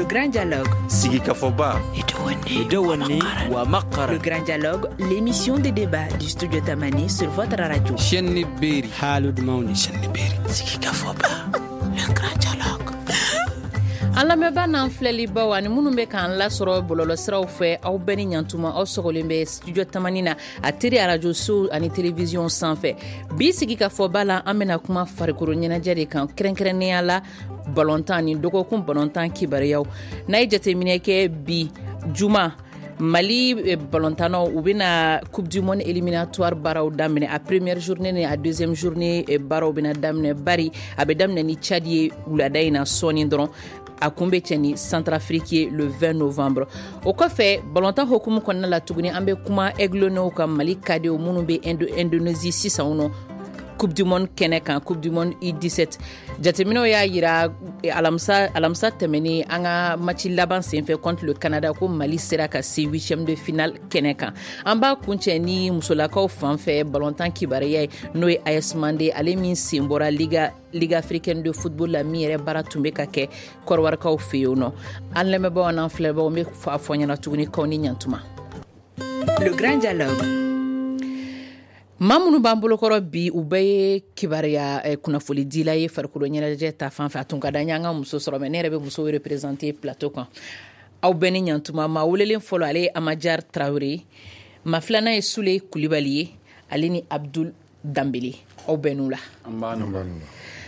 Le Grand Dialogue. Sigikafɔba. Le Grand Dialogue, l'émission de débat du studio Tamani sur votre radio. Chaîne Beri. Haalude mawni. Sigikafɔba. Le Grand Dialogue. An lamɛnba n'an filɛlibaw ani minnu bɛ k'an lasɔrɔ bɔlɔlɔsiraw fɛ, aw bɛɛ ni ɲantuma. Aw sɔgɔlen bɛ Studio Tamani na, a teri arajosow ani télévision sanfɛ. Bi sigi ka fɔba la, an bɛna kuma farikolo ɲɛnajɛ de kan, kɛrɛnkɛrɛnnenya la balɔntan ni dɔgɔkun balɔntan kibaruyaw. N'a ye jateminɛ kɛ, bi juma, Mali balontannaw, u bɛna Coupe du monde éliminatoire baaraw daminɛ. A première journée ni a deuxième journée baaraw bɛna daminɛ, bari a bɛ daminɛ ni Tchad ye wulada in na sɔɔni dɔrɔn. A kun bɛ cɛ ni Centrafrique ye le 20 novembre. O kɔfɛ, balontan hokumu kɔnɔna la tuguni, an bɛ kuma Aiglonnew ka, Mali cadetw minnu bɛ Indonésie sisan nɔ, Coupe du monde kɛnɛ kan, Coupe du monde U17. Jateminɛw y'a yira alamisa tɛmɛnen, an ka match laban senfɛ contre le Canada, ko Mali sera ka se huitième de finale kɛnɛ kan. An b'a kuncɛ ni musolakaw fan fɛ balontan kibaruya ye, n'o ye AS Mande, ale min sen bɔra Ligue africaine de football la, min yɛrɛ baara tun bɛ ka kɛ Kɔrɔwarikaw fɛ yen nɔ. An lamɛnbaaw n'an filɛbaaw, n bɛ a fɔ ɲɛna tuguni k'aw ni ɲantuma. Le Grand Dialogue. Maa minnu b'an bolokɔrɔ bi, u bɛɛ ye kibaruya kunnafonidila ye farikolo ɲɛnajɛ ta fan fɛ. A tun ka d'an ye an ka muso sɔrɔ, mais ne yɛrɛ bɛ musow représenter plateau kan. Aw bɛɛ ni ɲantuma. Maa welelen fɔlɔ, ale ye Amajar Tarawele. Maa filanan ye Sule Kulibali ye, ale ni Abdul Danbele. Aw bɛɛ n'u la.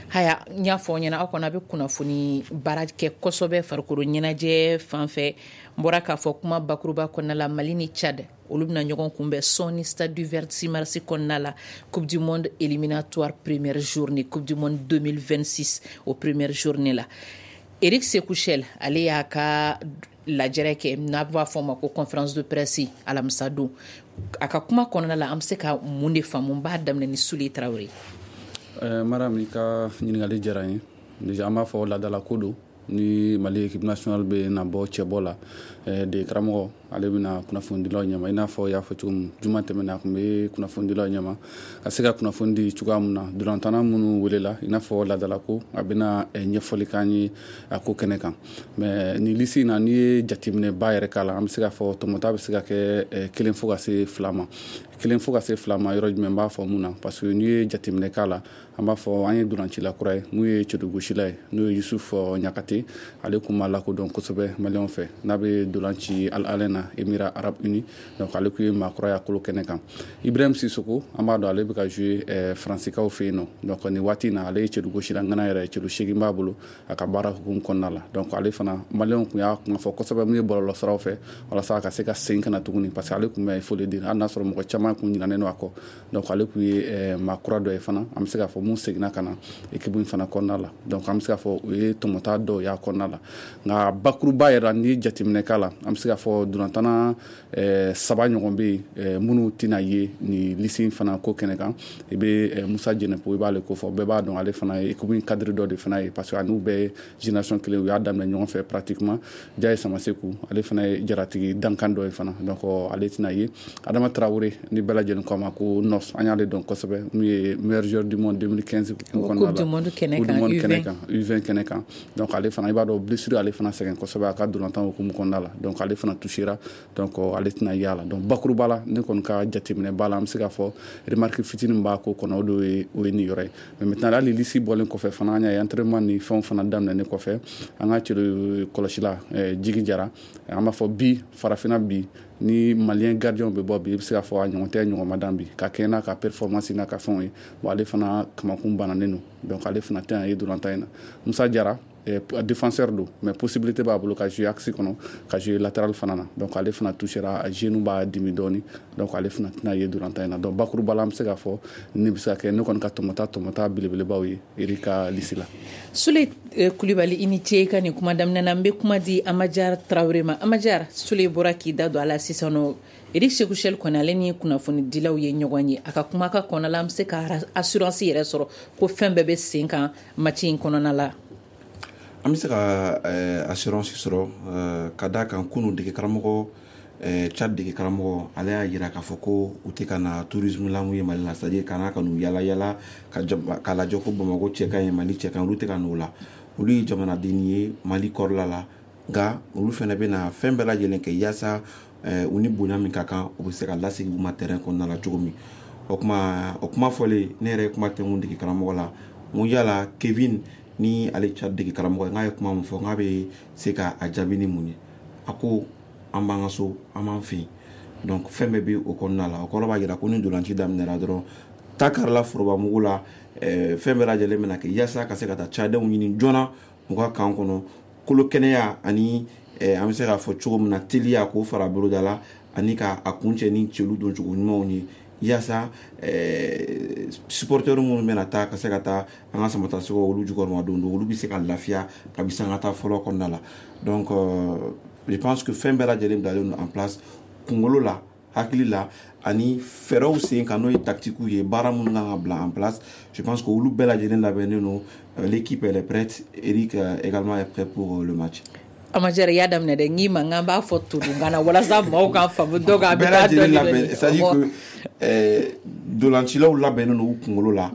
Haya, n y'a fɔ aw ɲɛna, aw kɔni a bɛ kunnafoni baara kɛ kosɛbɛ farikolo ɲɛnajɛ fan fɛ. N bɔra k'a fɔ kuma bakuruba kɔnɔna la, Mali ni Tchad, olu bɛna ɲɔgɔn kunbɛn sɔɔni stade du 26 mars kɔnɔna la, Coupe du monde éliminatoire première journée, Coupe du monde 2026, o première journée la. Eric Sékou Chelle, ale y'a ka lajɛrɛ kɛ, n'a b'a fɔ o ma ko conférence de presse, alamisa don. A ka kuma kɔnɔna la, an bɛ se ka mun de faamu? N b'a daminɛ ni Sule Tarawele. Mariam, i ka ɲininkali diyara n ye. Déjà, an b'a fɔ laadala ko don ni Mali équipe nationale bɛ na bɔ cɛbɔ la, de karamɔgɔ ale bɛna kunnafonidilaw ɲɛma. I n'a fɔ i y'a fɔ cogo min, juma tɛmɛna, a tun bɛ kunnafonidilaw ɲɛma ka se ka kunnafoni di cogoya min na, dolantanna minnu welela, i n'a fɔ laadala ko, a bɛna ɲɛfɔli k'an ye a ko kɛnɛ kan. Mais nin liste in na, n'i ye jateminɛba yɛrɛ k'a la, an bɛ se k'a fɔ tɔmɔta bɛ se ka kɛ kelen fo ka se fila ma. Kelen fo ka se fila ma yɔrɔ jumɛn? N b'a fɔ mun na? Parce que n'i ye jateminɛ k'a la, an b'a fɔ an ye dolancila kura ye, mun ye cɛdugosila ye, n'o ye Yusuf Ɲakate. Ale kun ma lakodɔn kosɛbɛ maliyɛnw fɛ, n'a bɛ dolanci Al Ahly na, Émirats Arabes Unis. Donc ale kun ye maa kura ye a kolo kɛnɛ kan. Ibrahim Sissoko, an b'a dɔn ale bɛ ka jouer Faransikaw fɛ yen nɔ. Donc nin waati in na, ale ye cɛdugosila ŋana yɛrɛ, cɛdu 8 b'a bolo a ka baara hukumu kɔnɔna la. Donc ale fana, maliyɛnw kun y'a kuma fɔ kosɛbɛ mun ye bɔlɔlɔsiraw fɛ, walasa a ka se ka segin ka na tuguni, parce que ale kun bɛ, il faut le dire, hali n'a sɔrɔ mɔgɔ caman kun ɲinɛnen don a kɔ. Donc ale kun ye maa kura dɔ ye fana, an bɛ se k'a fɔ mun seginna ka na équipe in fana kɔnɔna la. Donc an bɛ se k'a fɔ o ye tɔmɔta dɔw y'a kɔnɔna la. Nka bakuruba yɛrɛ, n'i ye jateminɛ k'a la, an bɛ se k'a fɔ dolantanna saba ɲɔgɔn bɛ yen minnu tɛna ye nin liste in fana ko kɛnɛ kan. I bɛ Musa Jɛnɛpo, i b'ale ko fɔ, bɛɛ b'a dɔn ale fana ye équipe in cadre dɔ de fana ye, parce que a n'u bɛɛ ye génération kelen, u y'a daminɛ ɲɔgɔn fɛ pratiquement. Jaye Samaseku, ale fana ye jaratigi dankan dɔ ye fana, donc ale tɛna ye. Adama Traoré, ni bɛɛ lajɛlen ko a ma ko Nos, an y'ale dɔn kosɛbɛ, mun ye meilleur joueur du monde 2015 kɔnɔna la, Coupe du monde kɛnɛ kan, kɛnɛ kan, U20 kɛnɛ kan. Donc ale fana, i b'a dɔn blessure ale fana sɛgɛn kosɛbɛ a ka dolantan hukumu kɔnɔna la. Donc ale fana touchera, donc ale tɛna ye a la. Donc bakuruba la, ne kɔni ka jateminɛ ba la, an bɛ se k'a fɔ remarque fitinin b'a ko kɔnɔ, o de ye, o ye nin yɔrɔ ye. Mais maintenant, hali liste bɔlen kɔfɛ fana, an y'a ye entraînement ni fɛnw fana daminɛnen kɔfɛ, an ka cɛ kɔlɔsila Jigi Jara, an b'a fɔ bi farafinna bi, ni malien gardien bɛ bɔ bi, i bɛ se k'a fɔ a ɲɔgɔn tɛ ɲɔgɔn ma dan bi, ka kɛ n'a ka performance n'a ka fɛnw ye. Bon, ale fana kamakun bananen don, donc ale fana tɛna ye dolantan in na. Musa Jara, défenseur don, mais possibilité b'a bolo ka jouer axe kɔnɔ, ka jouer latéral fana na. Donc ale fana touchera, a genou b'a dimi dɔɔni, donc ale fana tɛna ye dolantan in na. Donc bakuruba la, an bɛ se k'a fɔ ne bɛ se ka kɛ ne kɔni ka tɔmɔta tɔmɔta belebelebaw ye Eric ka liste la. Sule Kulibali, i ni ce i ka nin kuma daminɛ na. N bɛ kuma di Amajar Tarawele ma. Amajar, Sule bɔra k'i da don a la sisan nɔ. Eric Sékou Chelle kɔni, ale ni kunnafonidilaw ye ɲɔgɔn ye, a ka kuma ka kɔnɔna la, an bɛ se ka assurance yɛrɛ sɔrɔ ko fɛn bɛɛ bɛ sen kan match in kɔnɔna la? An bɛ se ka assurance sɔrɔ ka d'a kan, kunun dege karamɔgɔ, Tchad dege karamɔgɔ, ale y'a jira k'a fɔ ko u tɛ ka na tourisme la mun ye Mali la, c'est à dire ka na ka n'u yala yala ka lajɛ ko Bamakɔ cɛ ka ɲi, Mali cɛ ka ɲi. Olu tɛ ka n'o la. Olu ye jamanaden ye Mali kɔrɔla la. Nka olu fana bɛna fɛn bɛɛ lajɛlen kɛ yaasa u ni bonya min ka kan, u bɛ se ka lasegin u ma terrain kɔnɔna la cogo min. O kuma, o kuma fɔlen, ne yɛrɛ ye kuma tɛnku dege karamɔgɔ la, n ko yala Kevin ni ale Tchad dege karamɔgɔ ye, n k'a ye kuma min fɔ, n k'a bɛ se ka a jaabi ni mun ye? A ko an b'an ka so, an b'an fɛ yen, donc fɛn bɛɛ bɛ o kɔnɔna la. O kɔrɔ b'a jira ko ni ntolanci daminɛra dɔrɔn, ta karila foroba mugu la, fɛn bɛɛ lajɛlen bɛna kɛ yaasa ka se ka taa Tchadɛnw ɲini joona u ka camp kɔnɔ, kolo kɛnɛya ani an bɛ se k'a fɔ cogo min na, teliya k'o fara boloda la ani ka a kuncɛ ni celu doncogo ɲumanw ye, yaasa supporters minnu bɛna taa ka se ka taa an ka samatasɛgɛw olu jukɔrɔma don, olu bɛ se ka lafiya kabi sanga taa fɔlɔ kɔnɔna la. Donc je pense que fɛn bɛɛ lajɛlen bilalen don en place, kunkolo la, hakili la, ani fɛɛrɛw sen kan, n'o ye tactique ye, baara minnu kan ka bila en place. Je pense que olu bɛɛ lajɛlen labɛnnen don. L'équipe, elle est prête. Eric également est prêt pour le match. Amajɛrɛ, i y'a daminɛ dɛ. N k'i ma n k'an b'a fɔ todunkan na walasa maaw k'a faamu. Donc a bɛ bɛɛ taa lajɛlen dɔɔni labɛn, dɔɔni. c'est à dire que dolancilaw labɛnnen don u kunkolo la,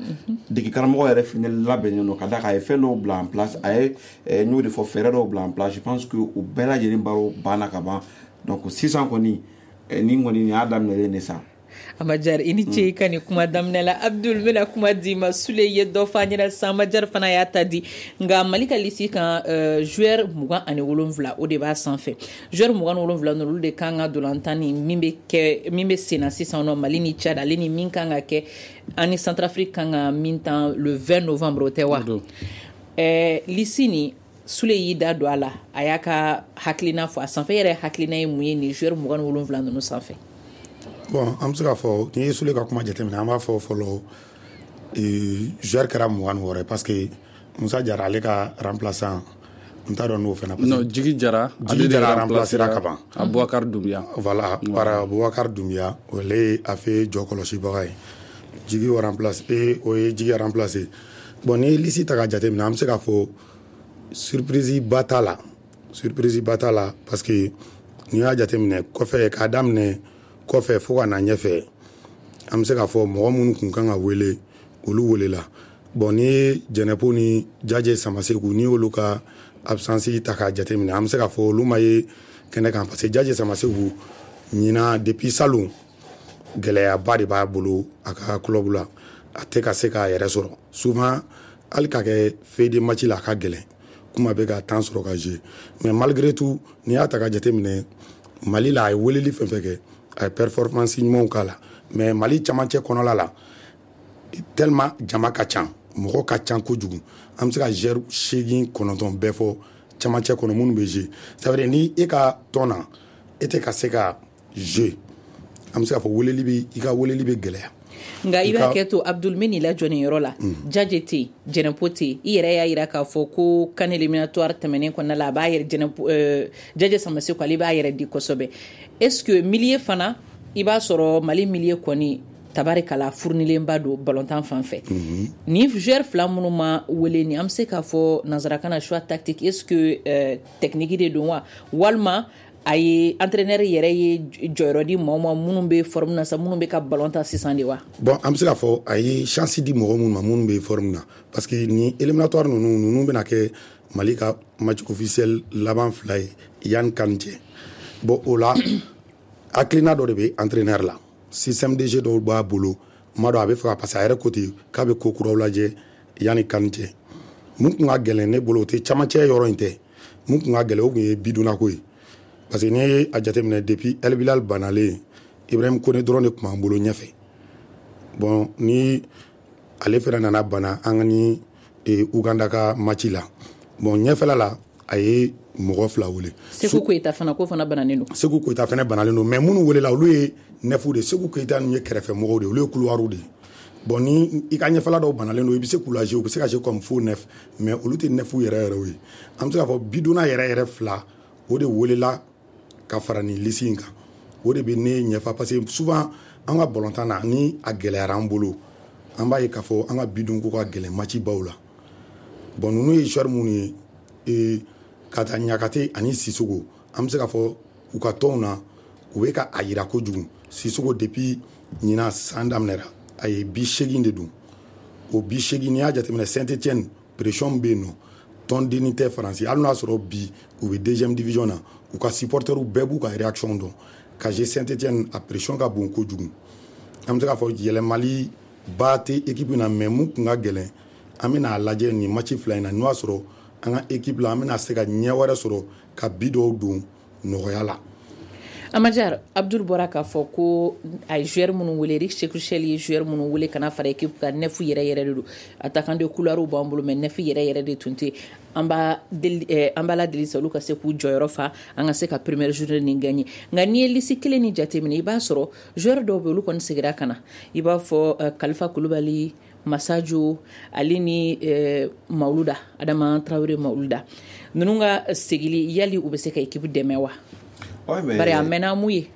dege karamɔgɔ yɛrɛ fɛnɛ labɛnnen don, ka d'a kan a ye fɛn dɔw bila en place, a ye n y'o de fɔ, fɛɛrɛ dɔw bila en place. Je pense que o bɛɛ lajɛlen baaraw banna ka ban. Donc sisan kɔni, nin kɔni, nin y'a daminɛlen de sa. Amajari, i ni ce i ka nin kuma daminɛ la. Abdul, n bɛna kuma d'i ma. Sule ye dɔ fɔ an ɲɛna sisan, Amajari fana y'a ta di. Nka Mali ka liste kan, joueur 27, o de b'a sanfɛ. Joueur 27 ninnu, olu de kan ka dolantan ni min bɛ kɛ, min bɛ sen na sisan nɔ, Mali ni Tchad, ale ni min kan ka kɛ an ni Centrafrique kan ka min tan le 20 novembre, o tɛ wa? O don. Liste nin, Sule y'i da don a la, a y'a ka hakilina fɔ a sanfɛ. E yɛrɛ hakilina ye mun ye nin joueur 27 ninnu sanfɛ? Bon, an bɛ se k'a fɔ, n'i ye Sule ka kuma jateminɛ, an b'a fɔ fɔlɔ, joueur kɛra 26 ye, parce que Musa Jara, ale ka remplaçant, n t'a dɔn n'o fana, parce que Non, Jigi Jara. Jigi Jara remplacera ka ban. Aboubacar Doumbia. Voilà, par Boubacar Doumbia, ale ye a fɛ jɔ kɔlɔsibaga ye. Jigi o remplace e, o ye Jigi remplacer. Bon, n'i ye liste ta k'a jateminɛ, an bɛ se k'a fɔ surprise ba t'a la, surprise ba t'a la, parce que n'i y'a jateminɛ kɔfɛ, k'a daminɛ kɔfɛ fo ka na ɲɛfɛ, an bɛ se k'a fɔ mɔgɔ minnu kun kan ka wele, olu welela. Bon, n'i ye Jɛnɛpo ni Jaje Samaseku, n'i y'olu ka absence ta k'a jateminɛ, an bɛ se k'a fɔ olu ma ye kɛnɛ kan, parce que Jaje Samaseku ɲinan, depuis salon, gɛlɛyaba de b'a bolo a ka club la, a tɛ ka se k'a yɛrɛ sɔrɔ. Souvent, hali ka kɛ feuille de match la, a ka gɛlɛn kuma bɛ ka temps sɔrɔ ka jouer. Mais malgré tout, n'i y'a ta ka jateminɛ, Mali la, a ye weleli fɛn fɛn kɛ, a ye performance ɲumanw k'a la. Mais Mali camancɛ kɔnɔla la, tellement jama ka ca, mɔgɔ ka ca kojugu, an bɛ se ka joueur seegin, kɔnɔntɔn bɛɛ fɔ camancɛ kɔnɔ minnu bɛ jouer. Ça veut dire ni e ka tɔn na, e tɛ ka se ka jouer, an bɛ se k'a fɔ weleli bɛ, i ka weleli bɛ gɛlɛya. Nka i I b'a ka kɛ to, Abdul, n bɛ n'i lajɔ nin yɔrɔ la. Jaje tɛ yen, Jɛnɛpo tɛ yen. I yɛrɛ y'a yira k'a fɔ ko CAN éliminatoire tɛmɛnen kɔnɔna la, a b'a yɛrɛ, Jɛnɛpo, Jaje Samaseku, ale b'a yɛrɛ di kosɛbɛ. Est ce que milieu fana, i b'a sɔrɔ Mali milieu kɔni, tabarikala, furunilenba don balontan fan fɛ. Ni joueur fila minnu ma wele ni, an bɛ se k'a fɔ nanzarakan na choix tactique, est ce que technique de don wa, walima a ye entraîneur yɛrɛ ye jɔyɔrɔ di maaw ma minnu bɛ forme na sa, minnu bɛ ka ballon ta sisan de wa? Bon, an bɛ se k'a fɔ a ye chance di mɔgɔ minnu ma, minnu bɛ forme na, parce que ni éliminatoire ninnu bɛna kɛ Mali ka match officiel laban fila ye yanni CAN cɛ. Bon, o la, hakilina dɔ de bɛ entraîneur la, système de jeu dɔw b'a bolo, n m'a dɔn a bɛ fɛ ka, parce que a yɛrɛ ko ten k'a bɛ ko kuraw lajɛ yanni CAN cɛ. Mun kun ka gɛlɛn ne bolo, o tɛ camancɛ yɔrɔ in tɛ. Mun kun ka gɛlɛn, o kun ye bidonna ko ye, parce que n'i ye a jateminɛ, depuis El Bilal banalen, Ibrahim Kone dɔrɔn de tun b'an bolo ɲɛfɛ. Bon, ni ale fɛnɛ nana bana an ka ni Uganda ka match la, bon, ɲɛfɛla la, a ye mɔgɔ fila wele. Seku Koyita fana, ko fana bananen don. Seku Koyita fɛnɛ banalen don, mais minnu welela, olu ye neuf de. Seku Koyita ninnu ye kɛrɛfɛ mɔgɔw de ye, olu ye couloir de ye. Bon, ni i ka ɲɛfɛla dɔw banalen don, i bɛ se k'u lajɛ, u bɛ se ka jouer comme faux neuf, mais olu tɛ neuf yɛrɛ yɛrɛw ye. An bɛ se k'a fɔ bidonna yɛrɛ yɛrɛ fila, o de welela ka fara nin liste in kan. O de bɛ ne ɲɛfɔ, parce que souvent an ka balontan na, ni a gɛlɛyara an bolo, an b'a ye k'a fɔ an ka bidonko ka gɛlɛn match baw la. Bon, ninnu ye joueur minnu ye, ka taa Ɲakate ani Sisoko, an bɛ se k'a fɔ u ka tɔnw na, u bɛ ka a yira kojugu. Sisoko, depuis ɲinan san daminɛra, a ye but 8 de don. O but 8, n'i y'a jateminɛ, Saint Etienne pression min bɛ yen nɔ, Tɔndenni tɛ Faransi, hali n'a sɔrɔ bi u bɛ deuxième division na, u ka supporters bɛɛ b'u ka réaction dɔn. Ka jouer Saint-Étienne, a pression ka bon kojugu. An bɛ se k'a fɔ yɛlɛmali ba tɛ équipe na, mais mun kun ka gɛlɛn, an bɛna a lajɛ nin match fila in na, n'o y'a sɔrɔ an ka équipe la, an bɛna se ka ɲɛ wɛrɛ sɔrɔ ka bi dɔw don nɔgɔya la. Amajar, Abdul bɔra k'a fɔ ko a ye joueur minnu wele, Eric Sékou Chelle ye joueur minnu wele ka na fara équipe kan, neuf yɛrɛ yɛrɛ de don. Attaquant de couloir b'an bolo, mais neuf yɛrɛ yɛrɛ de tun tɛ. An b'a deli, an b'a la deli sa, olu ka se k'u jɔyɔrɔ fa, an ka se ka première journée nin gagner. Nka n'i ye liste kelen ni jateminɛ, i b'a sɔrɔ joueur dɔw bɛ, olu kɔni seginna ka na, i b'a fɔ Kalifa Kulubali, Masajo, ale ni Mawuluda, Adama Traoré Mawuluda ninnu ka segili, yali u bɛ se ka équipe dɛmɛ wa? Ouais, mais bari a mɛnna mun ye.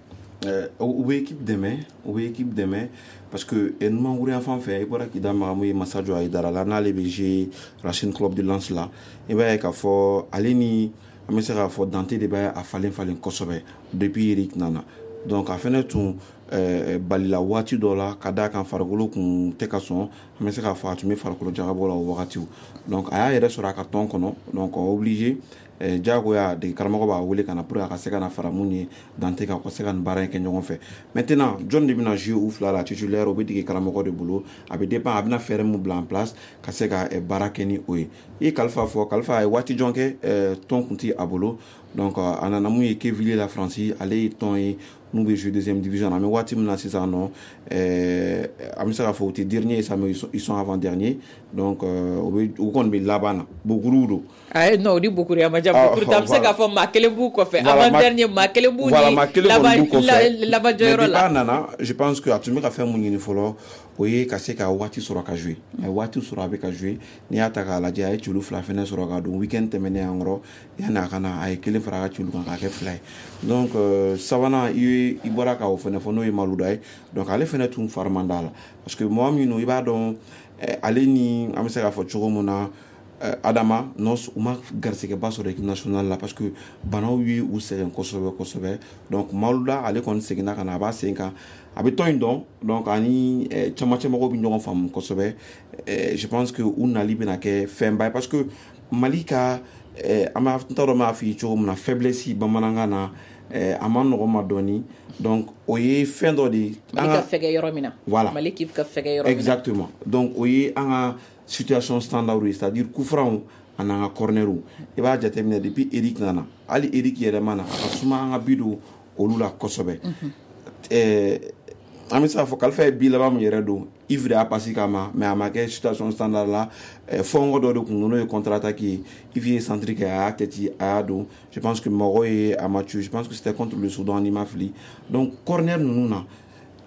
U bɛ équipe dɛmɛ, u bɛ équipe dɛmɛ, parce que numankuru yan fan fɛ, i bɔra k'i da maga mun ye Masajo Ayidara la, n'ale bɛ jouer Racing Club de Lens la, i b'a ye k'a fɔ ale ni, an bɛ se k'a fɔ, Dante de bɛ a falen falen kosɛbɛ depuis Eric nana. Donc a fɛnɛ tun balila waati dɔ la, ka d'a kan farikolo kun tɛ ka sɔn, an bɛ se k'a fɔ a tun bɛ farikolo jagabɔ la o wagatiw. Donc a y'a yɛrɛ sɔrɔ a ka tɔn kɔnɔ, donc obligé, diyagoya dege karamɔgɔ b'a wele ka na pour que a ka se ka na fara mun ye Dante kan, ka se ka nin baara in kɛ ɲɔgɔn fɛ. Maintenant, jɔn de bɛna jouer u fila la titulaire? O bɛ dege karamɔgɔ de bolo, a bɛ dépend a bɛna fɛɛrɛ mun bila en place ka se ka baara kɛ ni o ye. I ye Kalifa fɔ, Kalifa a ye waati jɔn kɛ tɔn kun ti a bolo. Donc a nana mun ye Quevilly la Faransi, ale ye tɔn ye n'u bɛ jouer deuxième division. An bɛ waati min na sisan nɔ, an bɛ se k'a fɔ u tɛ dernier sa, mais ils sont avant dernier. Donc u bɛ, u kɔni bɛ laban na, Bokuru don. Ayi, non, o ni Bokuru a ma diya. Bokuru ta, an bɛ se k'a fɔ maa kelen b'u kɔfɛ, avant dernier, maa kelen b'u ni maa kelen kɔni b'u kɔfɛ laban jɔyɔrɔ la. Mais depuis a nana, je pense que a tun bɛ ka fɛn mun ɲini fɔlɔ, o ye ka se ka waati sɔrɔ ka jouer. A ye waati sɔrɔ, a bɛ ka jouer. N'i y'a ta k'a lajɛ, a ye celu fila fɛnɛ sɔrɔ ka don week-end tɛmɛnen an kɔrɔ, yanni a ka na, a ye kelen fara a ka celu kan k'a kɛ 2 ye. Donc sabanan, i bɔra ka o fɛnɛ fɔ, n'o ye Maluda ye. Donc ale fɛnɛ tun fari man d'a la, parce que mɔgɔ min don, i b'a dɔn, ale ni, an bɛ se k'a fɔ cogo min na, Adama Nos, u ma garisɛgɛba sɔrɔ équipe nationale la, parce que banaw ye u sɛgɛn kosɛbɛ kosɛbɛ. Donc Maluda, ale kɔni seginna ka na, a b'a sen kan, a bɛ tɔn in dɔn. Donc ani camancɛ mɔgɔw bɛ ɲɔgɔn faamu kosɛbɛ. Je pense que u nali bɛna kɛ fɛnba ye, parce que Mali ka, an b'a, n t'a dɔn n b'a f'i ye cogo min na, faiblesse bamanankan na, a ma nɔgɔn ma dɔɔni. Donc o ye fɛn dɔ de ye. Mali ka fɛgɛ yɔrɔ min na. Voilà. Mali équipe ka fɛgɛ yɔrɔ min na. Exactement. Donc o ye an ka situation standard ye, c'est à dire coup franc ani an ka corner. I b'a jateminɛ, depuis Eric nana, hali Eric yɛrɛ ma na, a ka suma an ka bi don olu la kosɛbɛ. An bɛ se k'a fɔ Kalifa ye bi laban min yɛrɛ don, Yves de y'a passe k'a ma, mais a ma kɛ situation standard la. Fɔnkɔ dɔ de kun don, n'o ye contre attaque ye, Yves ye centre kɛ, a y'a tête, a y'a don. Je pense que mɔgɔw ye a match, je pense que c'était contre le Soudan, n'i ma fili. Donc corner ninnu na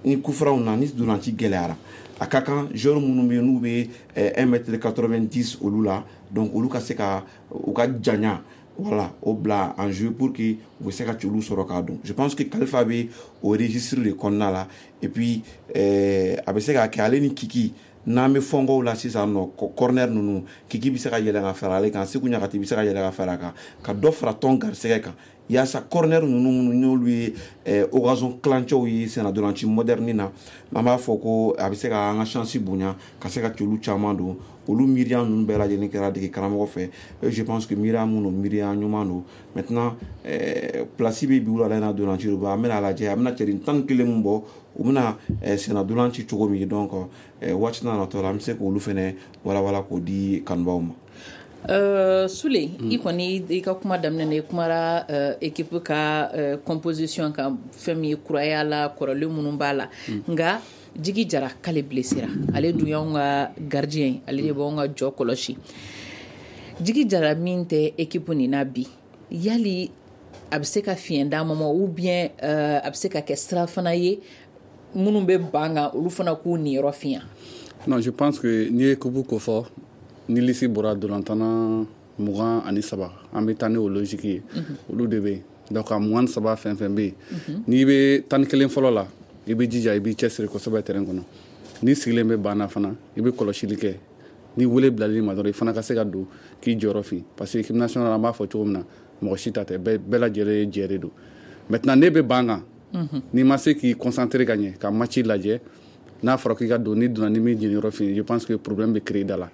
ni coup franc na, ni dolanci gɛlɛyara, a ka kan joueur minnu bɛ yen n'u bɛ 1 mètre 90 olu la, donc olu ka se ka u ka janya, voilà, o bila en jeu pour que u bɛ se ka celu sɔrɔ k'a don. Je pense que Kalifa bɛ o registre de kɔnɔna la. Et puis a bɛ se ka kɛ ale ni Kiki, n'an bɛ fɔnkɔw la sisan nɔ, corner ninnu, Kiki bɛ se ka yɛlɛ ka fara ale kan, Seku Ɲagati bɛ se ka yɛlɛ ka fara a kan, ka dɔ fara tɔn garisɛgɛ kan, yaasa corner ninnu minnu n'olu ye occasion kilancɛw ye senna dolanci moderne na, an b'a fɔ ko a bɛ se ka an ka chance bonya ka se ka celu caman don. Olu miiriya ninnu bɛɛ lajɛlen kɛra dege karamɔgɔ fɛ, et je pense que miiriya mun don, miiriya ɲuman don. Maintenant, place bɛ bi wula in na dolanci don, an bɛna lajɛ a bɛna cɛden 11 mun bɔ, u bɛna senna dolanci cogo min. Donc waati n'a natɔ la, an bɛ se k'olu fɛnɛ walawala k'o di kanubaw ma. Sule, i kɔni i ka kuma daminɛ na, i kumara équipe ka composition kan, fɛn min ye kuraya la, kɔrɔlen minnu b'a la. Nka Jigi Jara k'ale blessera, ale dun y'anw ka gardien ye, ale de b'anw ka jɔ kɔlɔsi. Jigi Jara min tɛ équipe nin na bi, yali a bɛ se ka fiɲɛ d'a ma ou bien a bɛ se ka kɛ sira fana ye minnu bɛ ban kan, olu fana k'u niyɔrɔ fiɲɛ? Non, je pense que n'i ye équipe ko fɔ, ni liste bɔra dolantana 23, an bɛ taa ni o logique ye, olu de bɛ yen. Donc a 23 fɛn fɛn bɛ yen, n'i bɛ 11 fɔlɔ la, i bɛ jija, i b'i cɛsiri kosɛbɛ terrain kɔnɔ. N'i sigilen bɛ banc na fana, i bɛ kɔlɔsili kɛ, ni wele bilali ma dɔrɔn, i fana ka se ka don k'i jɔyɔrɔ fin, parce que équipe nationale, an b'a fɔ cogo min na, mɔgɔ si ta tɛ, bɛɛ lajɛlen ye jɛ de don. Maintenant, ne bɛ banc kan, n'i ma se k'i concentrer ka ɲɛ ka match lajɛ. N'a fɔra k'i ka don, n'i donna, ni min jeniyɔrɔ fin, je pense que problème bɛ créer da la.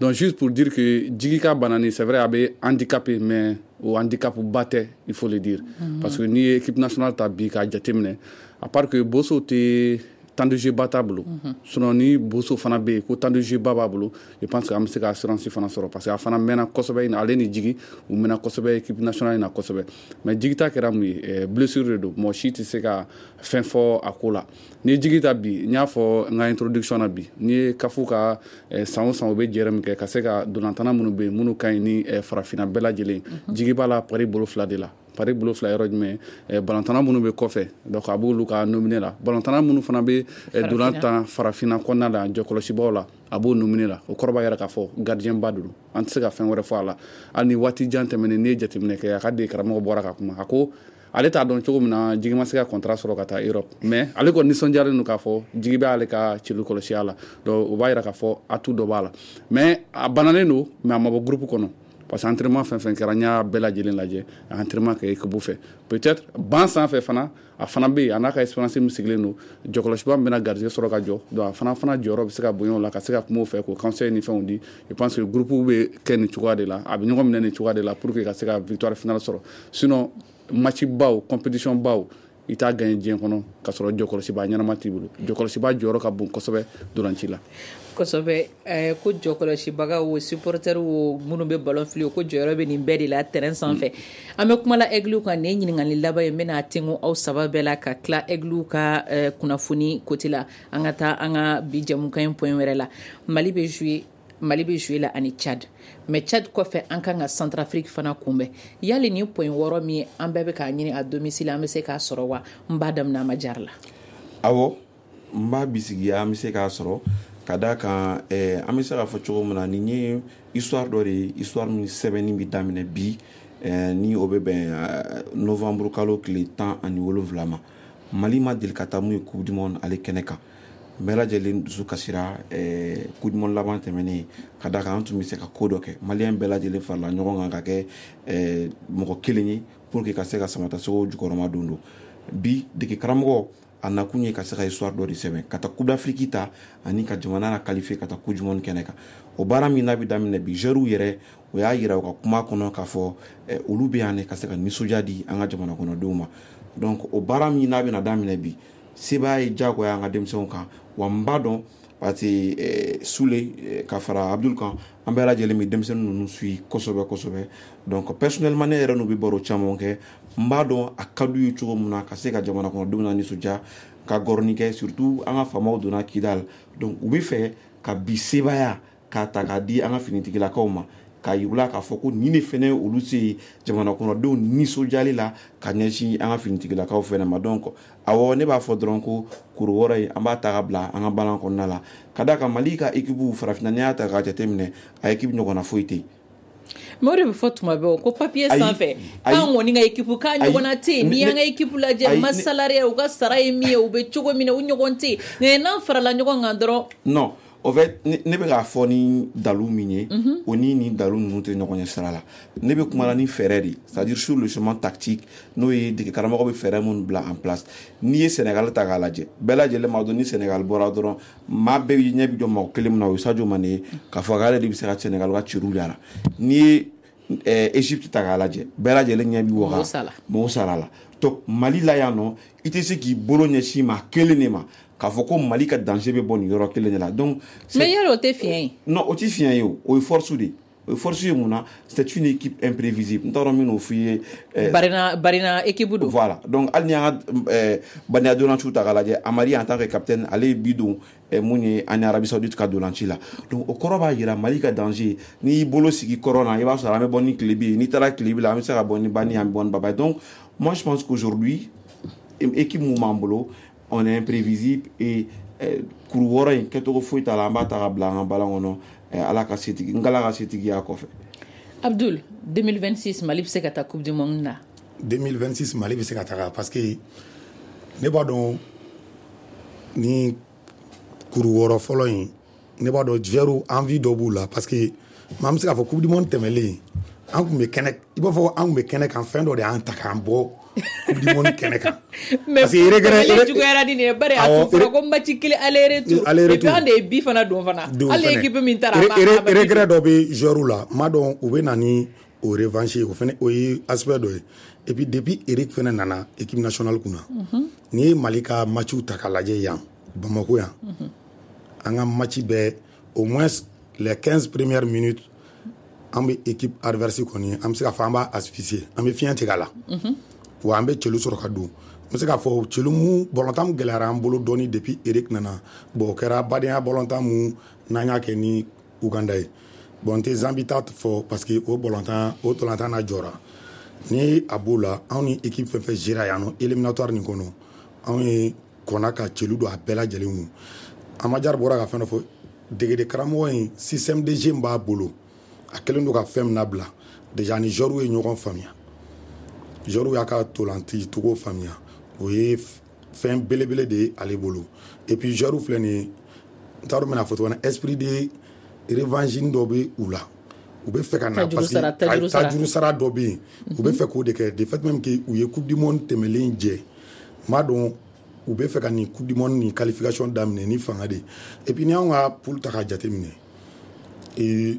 Donc juste pour dire que Jigi ka banani, c'est vrai, a bɛ handicapé, mais o handicap ba tɛ, il faut le dire, parce que n'i ye équipe nationale ta bi k'a jateminɛ, à part que Boso tɛ temps de jeu ba t'a bolo, sinon ni Boso fana bɛ yen ko temps de jeu ba b'a bolo, je pense que an bɛ se ka assurance fana sɔrɔ, parce que a fana mɛnna kosɛbɛ. Ale ni Jigi, u mɛnna kosɛbɛ équipe nationale in na kosɛbɛ. Mais Jigi ta kɛra mun ye? Blessure de don, mɔgɔ si tɛ se ka fɛn fɔ a ko la. Ni ye Jigi ta bi, n y'a fɔ n ka introduction na bi, n'i ye CAF ka san o san u bɛ jɛrɛ min kɛ ka se ka dolantanna minnu bɛ yen minnu ka ɲi ni farafinna bɛɛ lajɛlen, Jigi b'a la pari bolo fila de la. Pari bolo fila yɔrɔ jumɛn? Balontanna minnu bɛ kɔfɛ, donc a b'olu ka nominé la. Balontanna minnu fana bɛ dolan tan farafinna kɔnɔna la, jɔkɔlɔsibaw la, a b'o nominé la. O kɔrɔ b'a yɛrɛ k'a fɔ gardien ba don, an tɛ se ka fɛn wɛrɛ fɔ a la. Hali ni waati jan tɛmɛnen, n'i ye jateminɛ kɛ, a ka dege karamɔgɔ bɔra ka kuma, a ko ale t'a dɔn cogo min na Jigi ma se ka contrat sɔrɔ ka taa Europe, mais ale kɔni nisɔndiyalen don k'a fɔ Jigi bɛ ale ka celu kɔlɔsiya la. Donc o b'a yira k'a fɔ atout dɔ b'a la, mais a bananen don, mais a ma bɔ groupe kɔnɔ, parce que entraînement fɛn fɛn kɛra, n y'a bɛɛ lajɛlen lajɛ, a entraînement kɛ équipe fɛ. Peut-être ban sanfɛ fana, a fana bɛ yen, a n'a ka expérience min sigilen don, jɔkɔlɔsiba min bɛna garijɛgɛ sɔrɔ ka jɔ, donc a fana jɔyɔrɔ bɛ se ka bonya o la, ka se ka kuma o fɛ, k'o conseil ni fɛnw di. Je pense que groupe bɛ kɛ nin cogoya de la, a bɛ ɲɔgɔn minɛ nin cogoya de la pour que ka se ka victoire finale sɔrɔ. Sinon match baw, compétition baw, i t'a gagné diɲɛ kɔnɔ ka sɔrɔ jɔkɔlɔsiba ɲɛnama t'i bolo. Jɔkɔlɔsiba jɔyɔrɔ ka bon kosɛbɛ dolanci la. Kosɛbɛ. Ko jɔkɔlɔsibaga o, supporter o, minnu bɛ ballon fili o, ko jɔyɔrɔ bɛ nin bɛɛ de la terrain sanfɛ. An bɛ kuma la Aigle kan. Nin ye ɲininkali laban ye, n bɛna tengu aw saba bɛɛ la ka tila Aigle ka kunnafoni côté la. An ka taa an ka bi jɛmukan in point wɛrɛ la. Mali bɛ jouer la ani Tchad, mais Tchad kɔfɛ, an kan ka Centrafrique fana kunbɛn. Yali nin point 6 min an bɛɛ bɛ k'a ɲini à domicile, an bɛ se k'a sɔrɔ wa? N b'a daminɛ a ma jari la. Awɔ, n b'a bisigiya, an bɛ se k'a sɔrɔ, ka d'a kan an bɛ se k'a fɔ cogo min na, nin ye histoire dɔ de ye, histoire min sɛbɛnni bɛ daminɛ bi, ni o bɛ bɛn novembre kalo tile 17 ma. Mali ma deli ka taa mun ye Coupe du monde ale kɛnɛ kan. Bɛɛ lajɛlen dusu kasira Coupe du monde laban tɛmɛnen, ka d'a kan an tun bɛ se ka ko dɔ kɛ. Maliyɛn bɛɛ lajɛlen farala ɲɔgɔn kan ka kɛ mɔgɔ kelen ye pour que ka se ka Samatasɛgɛw jukɔrɔma don. Don bi, dege karamɔgɔ a nakun ye ka se ka histoire dɔ de sɛbɛn, ka taa Coupe d'Afrique ta ani ka jamana la qualifier ka taa Coupe du monde kɛnɛ kan. O baara min n'a bɛ daminɛ bi, joueurs yɛrɛ, o y'a yira u ka kuma kɔnɔ k'a fɔ olu bɛ yan de ka se ka nisɔndiya di an ka jamana kɔnɔdenw ma. Donc o baara min n'a bɛna daminɛ bi, sebaaya ye diyagoya an ka denmisɛnw kan. Wa n b'a dɔn, parce que Sule ka fara Abdul kan, an bɛɛ lajɛlen bɛ denmisɛnnin ninnu suit kosɛbɛ kosɛbɛ. Donc personnellement, ne yɛrɛ n'u bɛ baro caman kɛ, n b'a dɔn a ka d'u ye cogo min na ka se ka jamana kɔnɔdenw na nisɔndiya, ka gɔrɔni kɛ, surtout an ka faamaw donna Kidal. Donc u bɛ fɛ ka bi sebaaya k'a ta k'a di an ka finitigilakaw ma, k'a yir'u la k'a fɔ ko nin de fɛnɛ olu se jamana kɔnɔdenw nisɔndiyali la ka ɲɛsin an ka finitigilakaw fɛnɛ ma. Donc awɔ, ne b'a fɔ dɔrɔn ko kuru wɔɔrɔ in, an b'a ta ka bila an ka balan kɔnɔna la, ka d'a kan Mali ka équipe farafinna, n'i y'a ta k'a jateminɛ, a équipe ɲɔgɔnna foyi tɛ yen. Mais o de bɛ fɔ tuma bɛɛ, o ko papier sanfɛ, k'an kɔni ka équipe k'a ɲɔgɔnna tɛ yen. N'i y'an ka équipe lajɛ, masse salariale, u ka sara ye min ye, u bɛ cogo min na, u ɲɔgɔn tɛ yen. Nka n'an farala ɲɔgɔn kan dɔrɔn. Non, au fait, ne bɛ k'a fɔ ni dalu min ye, o ni nin dalu ninnu tɛ ɲɔgɔn ɲɛ sira la. Ne bɛ kuma la ni fɛɛrɛ de, c'est à dire sur le chemin tactique, n'o ye dege karamɔgɔ bɛ fɛɛrɛ minnu bila en place. N'i ye Sénégal ta k'a lajɛ, bɛɛ lajɛlen b'a dɔn ni Sénégal bɔra dɔrɔn, maa bɛɛ ɲɛ bɛ jɔ mɔgɔ kelen min na, o ye Sadio Mané ye, k'a fɔ k'ale de bɛ se ka Sénégal ka ciriw yara. N'i ye Égypte ta k'a lajɛ, bɛɛ lajɛlen ɲɛ bɛ waga Mo Salah la. Donc Mali la yan nɔ, i tɛ se k'i bolo ɲɛsin maa kelen de ma k'a fɔ ko Mali ka danger bɛ bɔ nin yɔrɔ kelen de la. Donc mais yɔrɔ o tɛ fiɲɛ ye. Non, o tɛ fiɲɛ ye, o o ye force de ye. O ye force ye mun na? C'est une équipe imprévisible. N t'a dɔn min n'o f'i ye. Barina barina équipe don. Voilà, donc hali ni y'an ka badenya dolanciw ta k'a lajɛ, Amari en tant que capitaine, ale ye bi don mun ye an ni Arabie Saoudite ka dolanci la. Donc o kɔrɔ b'a jira Mali ka danger, n'i y'i bolo sigi kɔrɔ na, i b'a sɔrɔ an bɛ bɔ ni tilebi ye, n'i taara tilebi la, an bɛ se ka bɔ ni bani, an bɛ bɔ ni baba ye. Donc moi, je pense qu'aujourd'hui, équipe mun b'an bolo, on est imprévisible et kuru 6 in kɛcogo foyi t'a la, an b'a ta ka bila an ka balan kɔnɔ, Ala ka setigi n k'Ala ka setigiya kɔfɛ. Abdul, 2026, Mali bɛ se ka taa Coupe du monde na? 2026, Mali bɛ se ka taga, parce que ne b'a dɔn ni kuru 6 fɔlɔ in, ne b'a dɔn joueurs envie dɔ b'u la, parce que maa bɛ se k'a fɔ Coupe du monde tɛmɛlen An tun bɛ kɛnɛ, i b'a fɔ an tun bɛ kɛnɛ kan, fɛn dɔ de y'an ta k'an bɔ Coupe du monde kɛnɛ kan. Mais parce que regret juguyara ni nin ye, bari a tun fɔra ko match kelen aller-retour, et puis an de ye bi fana don fana, hali équipe min taara a b'a regret dɔ bɛ joueur la, n m'a dɔn u bɛ na ni o revanche ye, o fana o ye aspect dɔ ye. Et puis depuis Eric fana nana équipe nationale kunna, n'i ye Mali ka matchiw ta k'a lajɛ yan Bamako yan, an ka match bɛɛ, au moins les 15 premières minutes, an bɛ équipe adverse kɔni, an bɛ se k'a fɔ an b'a asphyxier, an bɛ fiɲɛ tigɛ a la, wa an bɛ celu sɔrɔ ka don. N bɛ se k'a fɔ celu mun bɔlɔntan mun gɛlɛyara an bolo dɔɔni depuis Eric nana. Bon, o kɛra badenya bɔlɔntan mun n'an y'a kɛ ni Uganda ye. Bon, n tɛ Zambie ta fɔ parce que o bɔlɔntan, o tolantan na jɔra. Ni a b'o la, anw ni équipe fɛn fɛn gera yan nɔ éliminatoire nin kɔnɔ, anw ye kɔnna ka celu don a bɛɛ lajɛlen kun. Amadiar bɔra ka fɛn dɔ fɔ, degede karamɔgɔ in, système de jeu b'a bolo, a kɛlen don ka fɛn min labila déjà, ni joueurs ye ɲɔgɔn faamuya, joueurs y'a ka tolanci cogo faamuya, o ye fɛn belebele de ye ale bolo. Et puis joueurs filɛ nin ye, n t'a dɔn n bɛna fɔ cogo min na, esprit de revanche dɔ bɛ u la, u bɛ fɛ ka na parce que tajuru sara dɔ bɛ yen, u bɛ fɛ k'o de kɛ. De fait même que u ye Coupe du monde tɛmɛlen jɛ, n b'a dɔn u bɛ fɛ ka nin Coupe du monde nin qualification daminɛ ni fanga de ye. Et puis ni anw ka poule ta k'a jateminɛ, et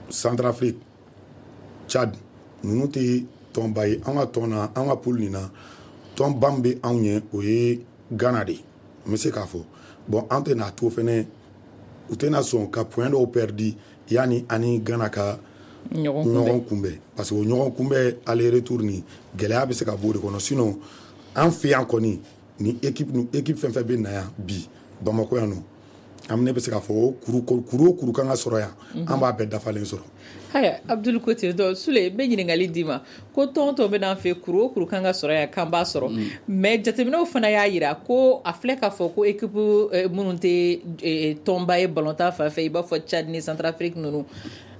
Centrafrique, Tchad, ninnu tɛ tɔnba ye. An ka tɔn na, an ka poule nin na, tɔnba min bɛ anw ɲɛ, o ye Ghana de ye, n bɛ se k'a fɔ. Bon, an tɛ n'a to fɛnɛ, u tɛna sɔn ka point dɔw perdu yanni ani Ghana ka ɲɔgɔn kunbɛn, parce que o ɲɔgɔn kunbɛn aller retour nin, gɛlɛya bɛ se ka bɔ o de kɔnɔ. Sinon an fɛ yan kɔni, ni équipe ni équipe fɛn fɛn bɛ na yan bi Bamakɔ yan nɔ, an ne bɛ se k'a fɔ o kuru kuru o kuru kan ka sɔrɔ yan, an b'a bɛɛ dafalen sɔrɔ. Haya, Abdul Kote, donc Sule, n bɛ ɲininkali d'i ma ko tɔn tɔn bɛ n'an fɛ, kuru o kuru kan ka sɔrɔ yan k'an b'a sɔrɔ, mais jateminɛw fana y'a yira ko a filɛ k'a fɔ ko équipe minnu tɛ tɔnba ye balontan fan fɛ, i b'a fɔ Tchad ni Centrafrique ninnu,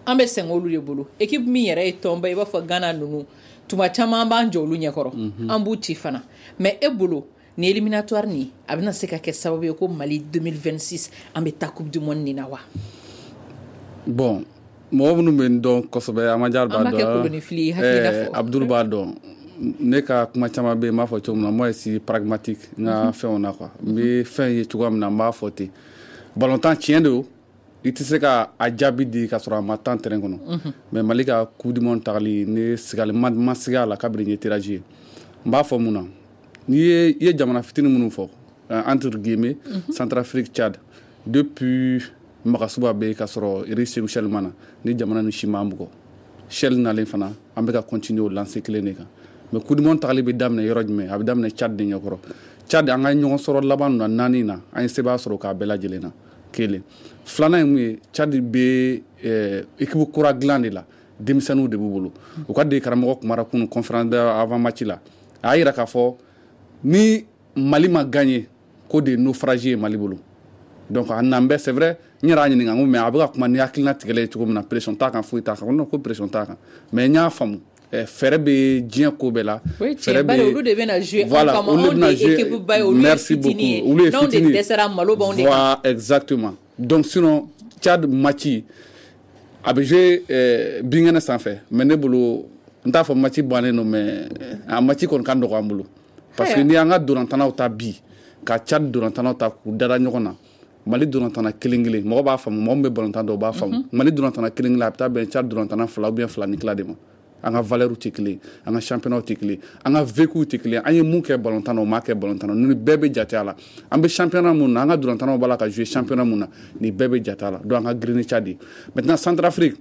an bɛ sɛgɛn olu de bolo. Équipe min yɛrɛ ye tɔnba ye, i b'a fɔ Ghana ninnu, tuma caman an b'an jɔ olu ɲɛkɔrɔ, an b'u ci fana. Mais e bolo, ni éliminatoire nin a bɛna se ka kɛ sababu ye ko Mali 2026 an bɛ taa Coupe du monde nin na wa? Bon, mɔgɔ minnu bɛ n dɔn kosɛbɛ, Amadiar b'a dɔn. An b'a kɛ kolonifili ye, hakilina fɔ. Abdul b'a dɔn. Ne ka kuma caman bɛ yen, n b'a fɔ cogo min na, moi je suis pragmatique n ka fɛnw na quoi. N bɛ fɛn ye cogoya min na, n b'a fɔ ten. Balontan tiɲɛ don, i tɛ se ka a jaabi di ka sɔrɔ a ma tan terrain kɔnɔ. Mais Mali ka Coupe du monde tagali, ne sigali ma siga a la kabini n ye tirage ye. N b'a fɔ mun na? N'i ye i ye jamana fitinin minnu fɔ, entre guillemets, Centrafrique, Tchad, depuis Magasuba bɛ yen ka sɔrɔ Eric Sékou Chelle ma na, ni jamana ni si m'an bugɔ. Chelle nalen fana, an bɛ ka continuer o lancer kelen de kan. Mais Coupe du monde tagali bɛ daminɛ yɔrɔ jumɛn? A bɛ daminɛ Tchad de ɲɛkɔrɔ. Tchad, an ka ɲɔgɔn sɔrɔ laban na naani na, an ye sebaaya sɔrɔ k'a bɛɛ lajɛlen na. Kelen. Filanan ye mun ye? Tchad bɛ équipe kura dilan de la, denmisɛnninw de b'u bolo. U ka dege karamɔgɔ kumara kunun conférence avant match la. A y'a yira k'a fɔ ni Mali ma gagné, ko de naufrage ye Mali bolo. Donc a nan bɛɛ, c'est vrai, n yɛrɛ y'a ɲininka, n ko mais a bɛ ka kuma ni hakilina tigɛlen ye cogo min na, pression t'a kan, foyi t'a kan. Non, ko pression t'a kan, mais n y'a faamu, fɛɛrɛ bɛ diɲɛ ko bɛɛ la. Fɛɛrɛ bɛ olu de bɛna jouer an kama, anw de ye équipe ba ye, olu ye fitinin ye, n'anw de dɛsɛra, malo b'anw de kan. Voilà, exactement. Donc sinon Tchad match a bɛ jouer binkɛnɛ sanfɛ, mais ne bolo, n t'a fɔ match bannen don, mais a match kɔni ka nɔgɔ an bolo. Parce que ni y'an ka dolantannaw ta bi, ka Tchad dolantannaw ta k'u dada ɲɔgɔn na, Mali dolantanna kelen kelen, mɔgɔ b'a faamu, mɔgɔ min bɛ balontan dɔn o b'a faamu. Mali dolantanna kelen kelen, a bɛ taa bɛn Tchad dolantanna 2 ou bien 2 ni tila de ma. An ka valeur tɛ kelen, an ka championnat tɛ kelen, an ka vécu tɛ kelen. An ye mun kɛ balontan na, o m'a kɛ balontan na. Nin bɛɛ bɛ jate a la. An bɛ championnat mun na, an ka dolantannaw b'a la ka jouer championnat mun na, nin bɛɛ bɛ jate a la. Donc an ka girin ni Tchad ye. Maintenant Centrafrique,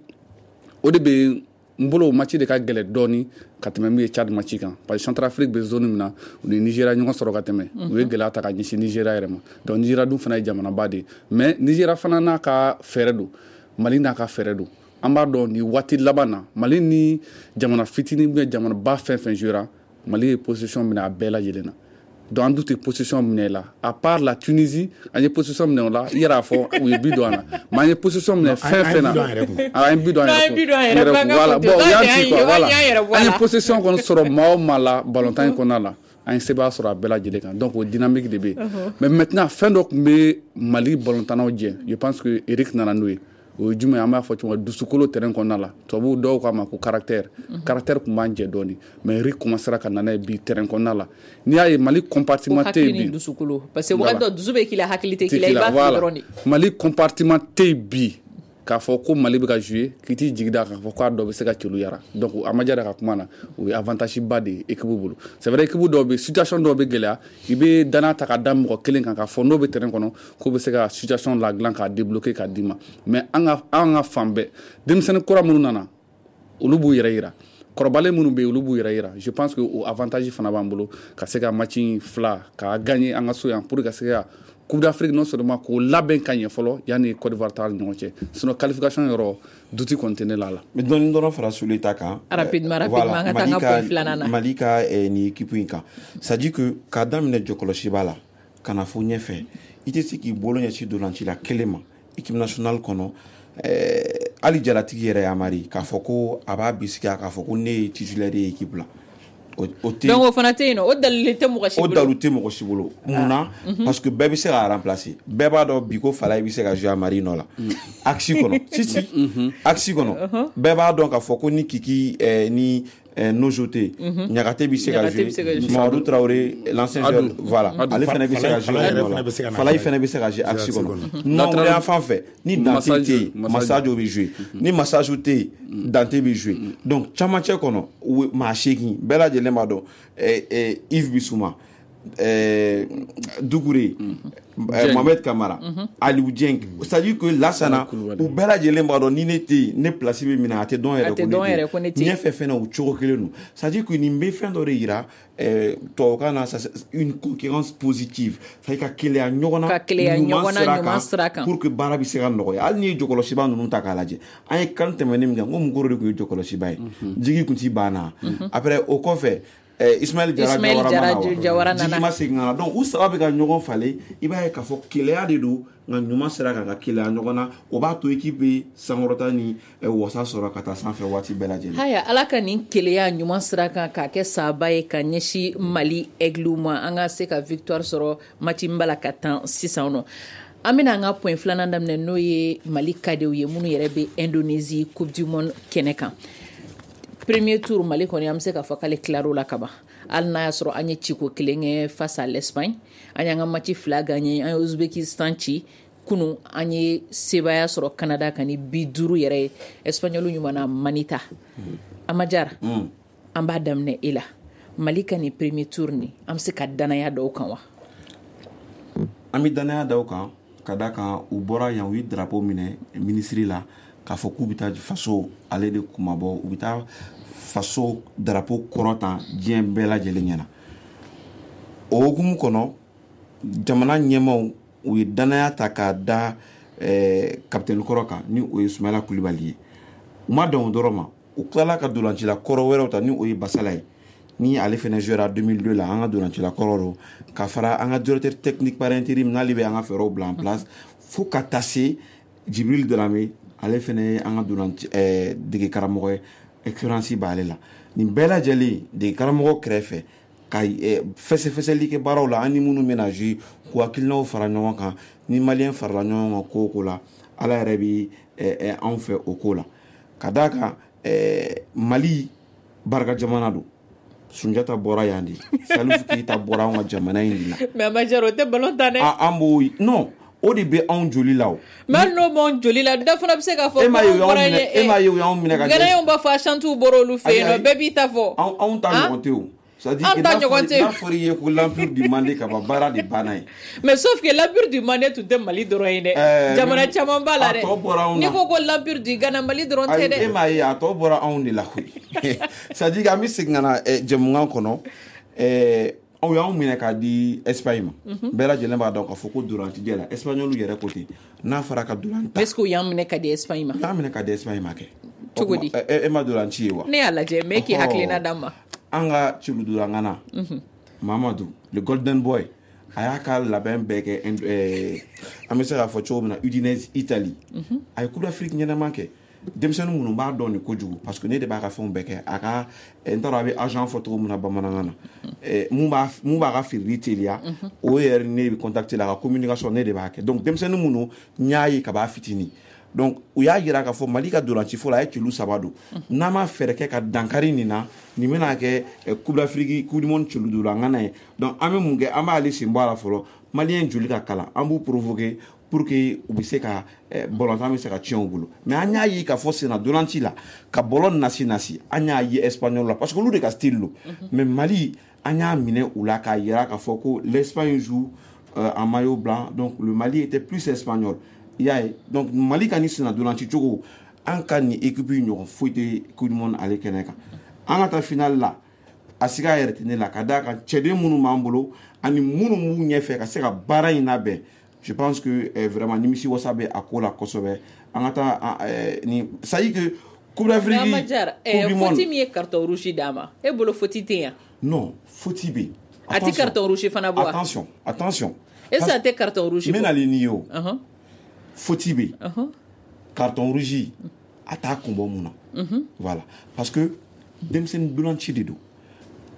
o de bɛ n bolo, o match de ka gɛlɛn dɔɔni ka tɛmɛ min ye Tchad match kan, parce que Centrafrique bɛ zone min na, u ni Nigéria ɲɔgɔn sɔrɔ ka tɛmɛ, u ye gɛlɛya ta ka ɲɛsin Nigéria yɛrɛ ma. Donc Nigéria dun fana ye jamanaba de ye, mais Nigéria fana n'a ka fɛɛrɛ don, Mali n'a ka fɛɛrɛ don. An b'a dɔn nin waati laban na, Mali ni jamana fitinin ou bien jamanaba fɛn fɛn jouera, Mali ye position minɛ a bɛɛ lajɛlen na. Donc an dun tɛ position minɛ la, à part la Tunisie, an ye position minɛ o la, i yɛrɛ y'a fɔ u ye but don an na, mais an ye position minɛ fɛn fɛn na, an ye but don an yɛrɛ kun. Voilà, bon, u y'an ci quoi, voilà. An ye position kɔni sɔrɔ maa o maa la balontan in kɔnɔna la, an ye sebaaya sɔrɔ a bɛɛ lajɛlen kan. Donc o dynamique de bɛ yen. Mais maintenant, fɛn dɔ tun bɛ Mali balontannaw jɛ, je pense que Eric nana n'o ye. O ye jumɛn? An b'a fɔ cogo min, dusukolo terrain kɔnɔna la, tubabuw dɔw k'a ma ko caractère. Caractère tun b'an jɛ dɔɔni, mais Eric commencera ka na n'a ye bi terrain kɔnɔna la. N'i y'a ye Mali compartiment tɛ yen bi, dusukolo, parce que wagati dɔ dusu bɛ k'i la, hakili tɛ k'i la, i b'a fili dɔrɔn de. Mali compartiment tɛ yen bi k'a fɔ ko Mali bɛ ka jouer k'i t'i jigi da k'a fɔ k'a dɔ bɛ se ka celu yara. Donc a ma diya ka kuma na, o ye avantage ba de ye équipe bolo. C'est vrai, équipe dɔw bɛ, situation dɔw bɛ gɛlɛya, i bɛ danaya ta ka da mɔgɔ kelen kan k'a fɔ n'o bɛ terrain kɔnɔ k'o bɛ se ka situation ladilan k'a débloquer k'a d'i ma. Mais an ka fan bɛɛ, denmisɛnnin kura minnu nana, olu b'u yɛrɛ yira, kɔrɔbalen minnu bɛ yen, olu b'u yɛrɛ yira. Je pense que o avantage fana b'an bolo ka se ka match fila k'a gagner an ka so yan, pour ka se ka Coupe d'Afrique non seulement k'o labɛn ka ɲɛ fɔlɔ yanni Côte d'Ivoire ta ni ɲɔgɔn cɛ. Sinon qualification yɔrɔ, doute kɔni tɛ ne la la. Mais dɔɔni dɔrɔn fara Sule ta kan. Rapidement, rapidement, an ka taa an ka point filanan na. Mali ka nin équipe in kan, c'est à dire que k'a daminɛ jɔkɔlɔsiba la ka na fo ɲɛfɛ, i tɛ se k'i bolo ɲɛsin dolancila kelen ma équipe nationale kɔnɔ. Hali jalatigi yɛrɛ Amari k'a fɔ ko a b'a bisigi k'a fɔ ko ne ye titulaire ye équipe la. Donc o fana tɛ yen nɔ, o dalilu tɛ mɔgɔ si bolo. O dalilu tɛ mɔgɔ si bolo. Munna? Parce que bɛɛ bɛ se k'a remplacer. Bɛɛ b'a dɔn bi ko Falaye bɛ se ka jouer Amari nɔ la. Axe kɔnɔ. Si. Axe kɔnɔ. Bɛɛ b'a dɔn k'a fɔ ko ni Kiki ni Nojo tɛ yen, Ɲagate bɛ se ka jouer. Mamadou Traoré, l'ancien joueur, voilà. Ale fana bɛ se ka jouer nɔ la. Falaye fana bɛ se ka jouer axe kɔnɔ. Nɔnwuliya fan fɛ, ni Dante tɛ yen, Masajo bɛ jouer. Ni Masajo tɛ yen, Dante bɛ jouer. Donc camancɛ kɔnɔ, maa 8 bɛɛ lajɛlen b'a dɔn. Yves Bissouma, Doucouré, Mohamed Kamara, Aliou Dieng. C'est-à-dire que Lassana, u bɛɛ lajɛlen b'a dɔn ni ne tɛ yen, ne place bɛ minɛ, a tɛ dɔn yɛrɛ ko ne tɛ yen. Ɲɛfɛ fɛnɛ o cogo kelen don. C'est-à-dire que nin bɛ fɛn dɔ de yira tubabukan na, une concurrence positive, c'est-à-dire ka keleya ɲɔgɔn na, ka keleya ɲɔgɔn na ɲuman sira kan, pour que baara bɛ se ka nɔgɔya. Hali n'i ye jɔkɔlɔsiba ninnu ta k'a lajɛ, an ye kan tɛmɛnen min kɛ, n ko Mukoro de tun ye jɔkɔlɔsiba ye, Jigi tun ti banna. Après o kɔfɛ, Ismaël Jara nana, Jigi ma segin ka na. Donc u saba bɛ ka ɲɔgɔn falen, i b'a ye k'a fɔ keleya de don, nka ɲuman sira kan, ka keleya ɲɔgɔn na, o b'a to équipe bɛ sankɔrɔta ni wasa sɔrɔ ka taa sanfɛ waati bɛɛ lajɛlen. Haya, Ala ka nin keleya ɲuman sira kan k'a kɛ saba ye ka ɲɛsin Mali Aigle ma, an ka se ka victoire sɔrɔ match in b'a la ka tan sisan nɔ. An bɛna an ka point filanan daminɛ, n'o ye Mali kadew ye minnu yɛrɛ bɛ Indonésie Coupe du Monde kɛnɛ kan. Premier tour, Mali kɔni an bɛ se k'a fɔ k'ale tilar'o la kaban. Hali n'a y'a sɔrɔ an ye ciko kelen kɛ face à l'Espagne, an y'an ka match 2 gagné, an ye Ouzbékistan ci kunun, an ye sebaaya sɔrɔ Canada kan ni 5 yɛrɛ ye. Espagnol ɲuman manita. Amajara, an b'a daminɛ e la. Mali ka nin premier tour nin, an bɛ se ka danaya dɔw kan wa? An bɛ danaya dɔw kan ka da kan u bɔra yan, u ye drapeau minɛ ministre la k'a fɔ k'u bɛ taa faso ale de kumabɔ, u bɛ taa faso drapeau kɔrɔtan diɲɛ bɛɛ lajɛlen ɲɛna. O hukumu kɔnɔ, jamana ɲɛmaaw u ye danaya ta k'a da capitaine kɔrɔ kan, ni o ye Sumayila Kulibali ye. U ma dan o dɔrɔn ma, u tilala ka dolancila kɔrɔ wɛrɛw ta, ni o ye Basala ye, ni ale fana jouera 2002 la, an ka dolancila kɔrɔ don, ka fara an ka directeur technique par intérim n'ale bɛ an ka fɛɛrɛw bila en place, fo ka taa se Jibril Darame, ale fana ye an ka dolanci dege karamɔgɔ ye, expérience b'ale la. Nin bɛɛ lajɛlen dege karamɔgɔ kɛrɛfɛ ka fɛsɛfɛsɛli kɛ baaraw la, an ni minnu bɛna jouer, k'u hakilinaw fara ɲɔgɔn kan. Ni maliyɛn farala ɲɔgɔn kan ko o ko la, Ala yɛrɛ bɛ anw fɛ o ko la. Ka d'a kan Mali barika jamana don. Sunjata bɔra yan de, Salif Keita bɔra anw ka jamana in de la. Mais Amajara, o tɛ ballon tan dɛ. An b'o non, o de bɛ anw joli la o. Mais hali n'o b'anw joli la, dɔ fana bɛ se k'a fɔ. E m'a ye u y'anw minɛ ka. Gɛlɛyaw b'a fɔ Ashantiw bɔra olu fɛ yen nɔ, bɛɛ b'i ta fɔ. Anw ta ɲɔgɔn tɛ o. C'est-à-dire que n'a fɔra i ye ko l'empire du Mandé ka ban, baara de banna yen. Mais sauf que l'empire du Mandé tun tɛ Mali dɔrɔn ye dɛ. Jamana caman b'a la dɛ. A tɔ bɔra anw na. N'i ko l'empire du Ghana, Mali dɔrɔn tɛ dɛ. E m'a ye a tɔ bɔra anw de la koyi. C'est-à-dire que an bɛ segin ka na jɛmukan kɔnɔ. Aw y'anw minɛ k'a di Espagne ma. Bɛɛ lajɛlen b'a dɔn k'a fɔ ko dolancijɛ la, Espagnol yɛrɛ ko ten, n'a fɔra ka dolan ta. Est-ce que u y'an minɛ ka di Espagne ma? U y'an minɛ ka di Espagne ma kɛ. Cogo di? E ma dolanci ye wa? Ne y'a lajɛ, mais k'i hakilina d'an ma. An ka celudolangana Mamadou, le golden boy, a y'a ka labɛn bɛɛ kɛ, an bɛ se k'a fɔ cogo min na, Udinese Italie. A ye Coupe d'Afrique ɲɛnama kɛ. Denmisɛnnin minnu b'a dɔn nin kojugu, parce que ne de b'a ka fɛnw bɛɛ kɛ, a ka n t'a dɔn a bɛ agent fɔ cogo min na bamanankan na, mun b'a ka feereli teliya, o yɛrɛ ne bɛ contacter la, a ka communication ne de b'a kɛ. Donc denmisɛnnin minnu n y'a ye ka b'a fitinin, Donc u y'a jira k'a fɔ Mali ka dolanci fɔlɔ a ye celu 3 don. N'an ma fɛɛrɛ kɛ ka dankari nin na, nin bɛna kɛ Coupe d'Afrique, Coupe du monde celu don an ŋana ye. Donc an bɛ mun kɛ, an b'ale sen bɔ a la fɔlɔ. Malien joli ka kalan, an b'u provoquer pour que u bɛ se ka ballon bɛ se ka tiɲɛ u bolo. Mais an y'a ye k'a fɔ senna dolanci la ka ballon nasi, an y'a ye espagnol la parce que olu de ka style don. Mais Mali an y'a minɛ u la k'a yira k'a fɔ ko l'Espagne joue en maillot blanc, donc le Mali était plus espagnol. I y'a ye, donc Mali ka nin senna dolanci cogo, an ka nin équipe ɲɔgɔn foyi tɛ Coupe du monde ale kɛnɛ kan. An ka taa finale la, a siga yɛrɛ tɛ ne la ka d'a kan cɛden minnu b'an bolo ani minnu b'u ɲɛfɛ ka se ka baara in labɛn. Je pense que vraiment nimisi wasa bɛ a ko la kosɛbɛ. An ka taa ni c'est à dire que Coupe d'Afrique, Coupe du monde, faute min ye carton rouge d'a ma, e bolo faute tɛ yan? Non, faute bɛ yen. A tɛ carton rouge fana bɔ wa? Attention. Est-ce que a tɛ carton rouge bɔ? N bɛ nalen n'i ye o. Faute bɛ yen. Carton rouge a t'a kun bɔ mun na? Voilà, parce que denmisɛnnin dolanci de don.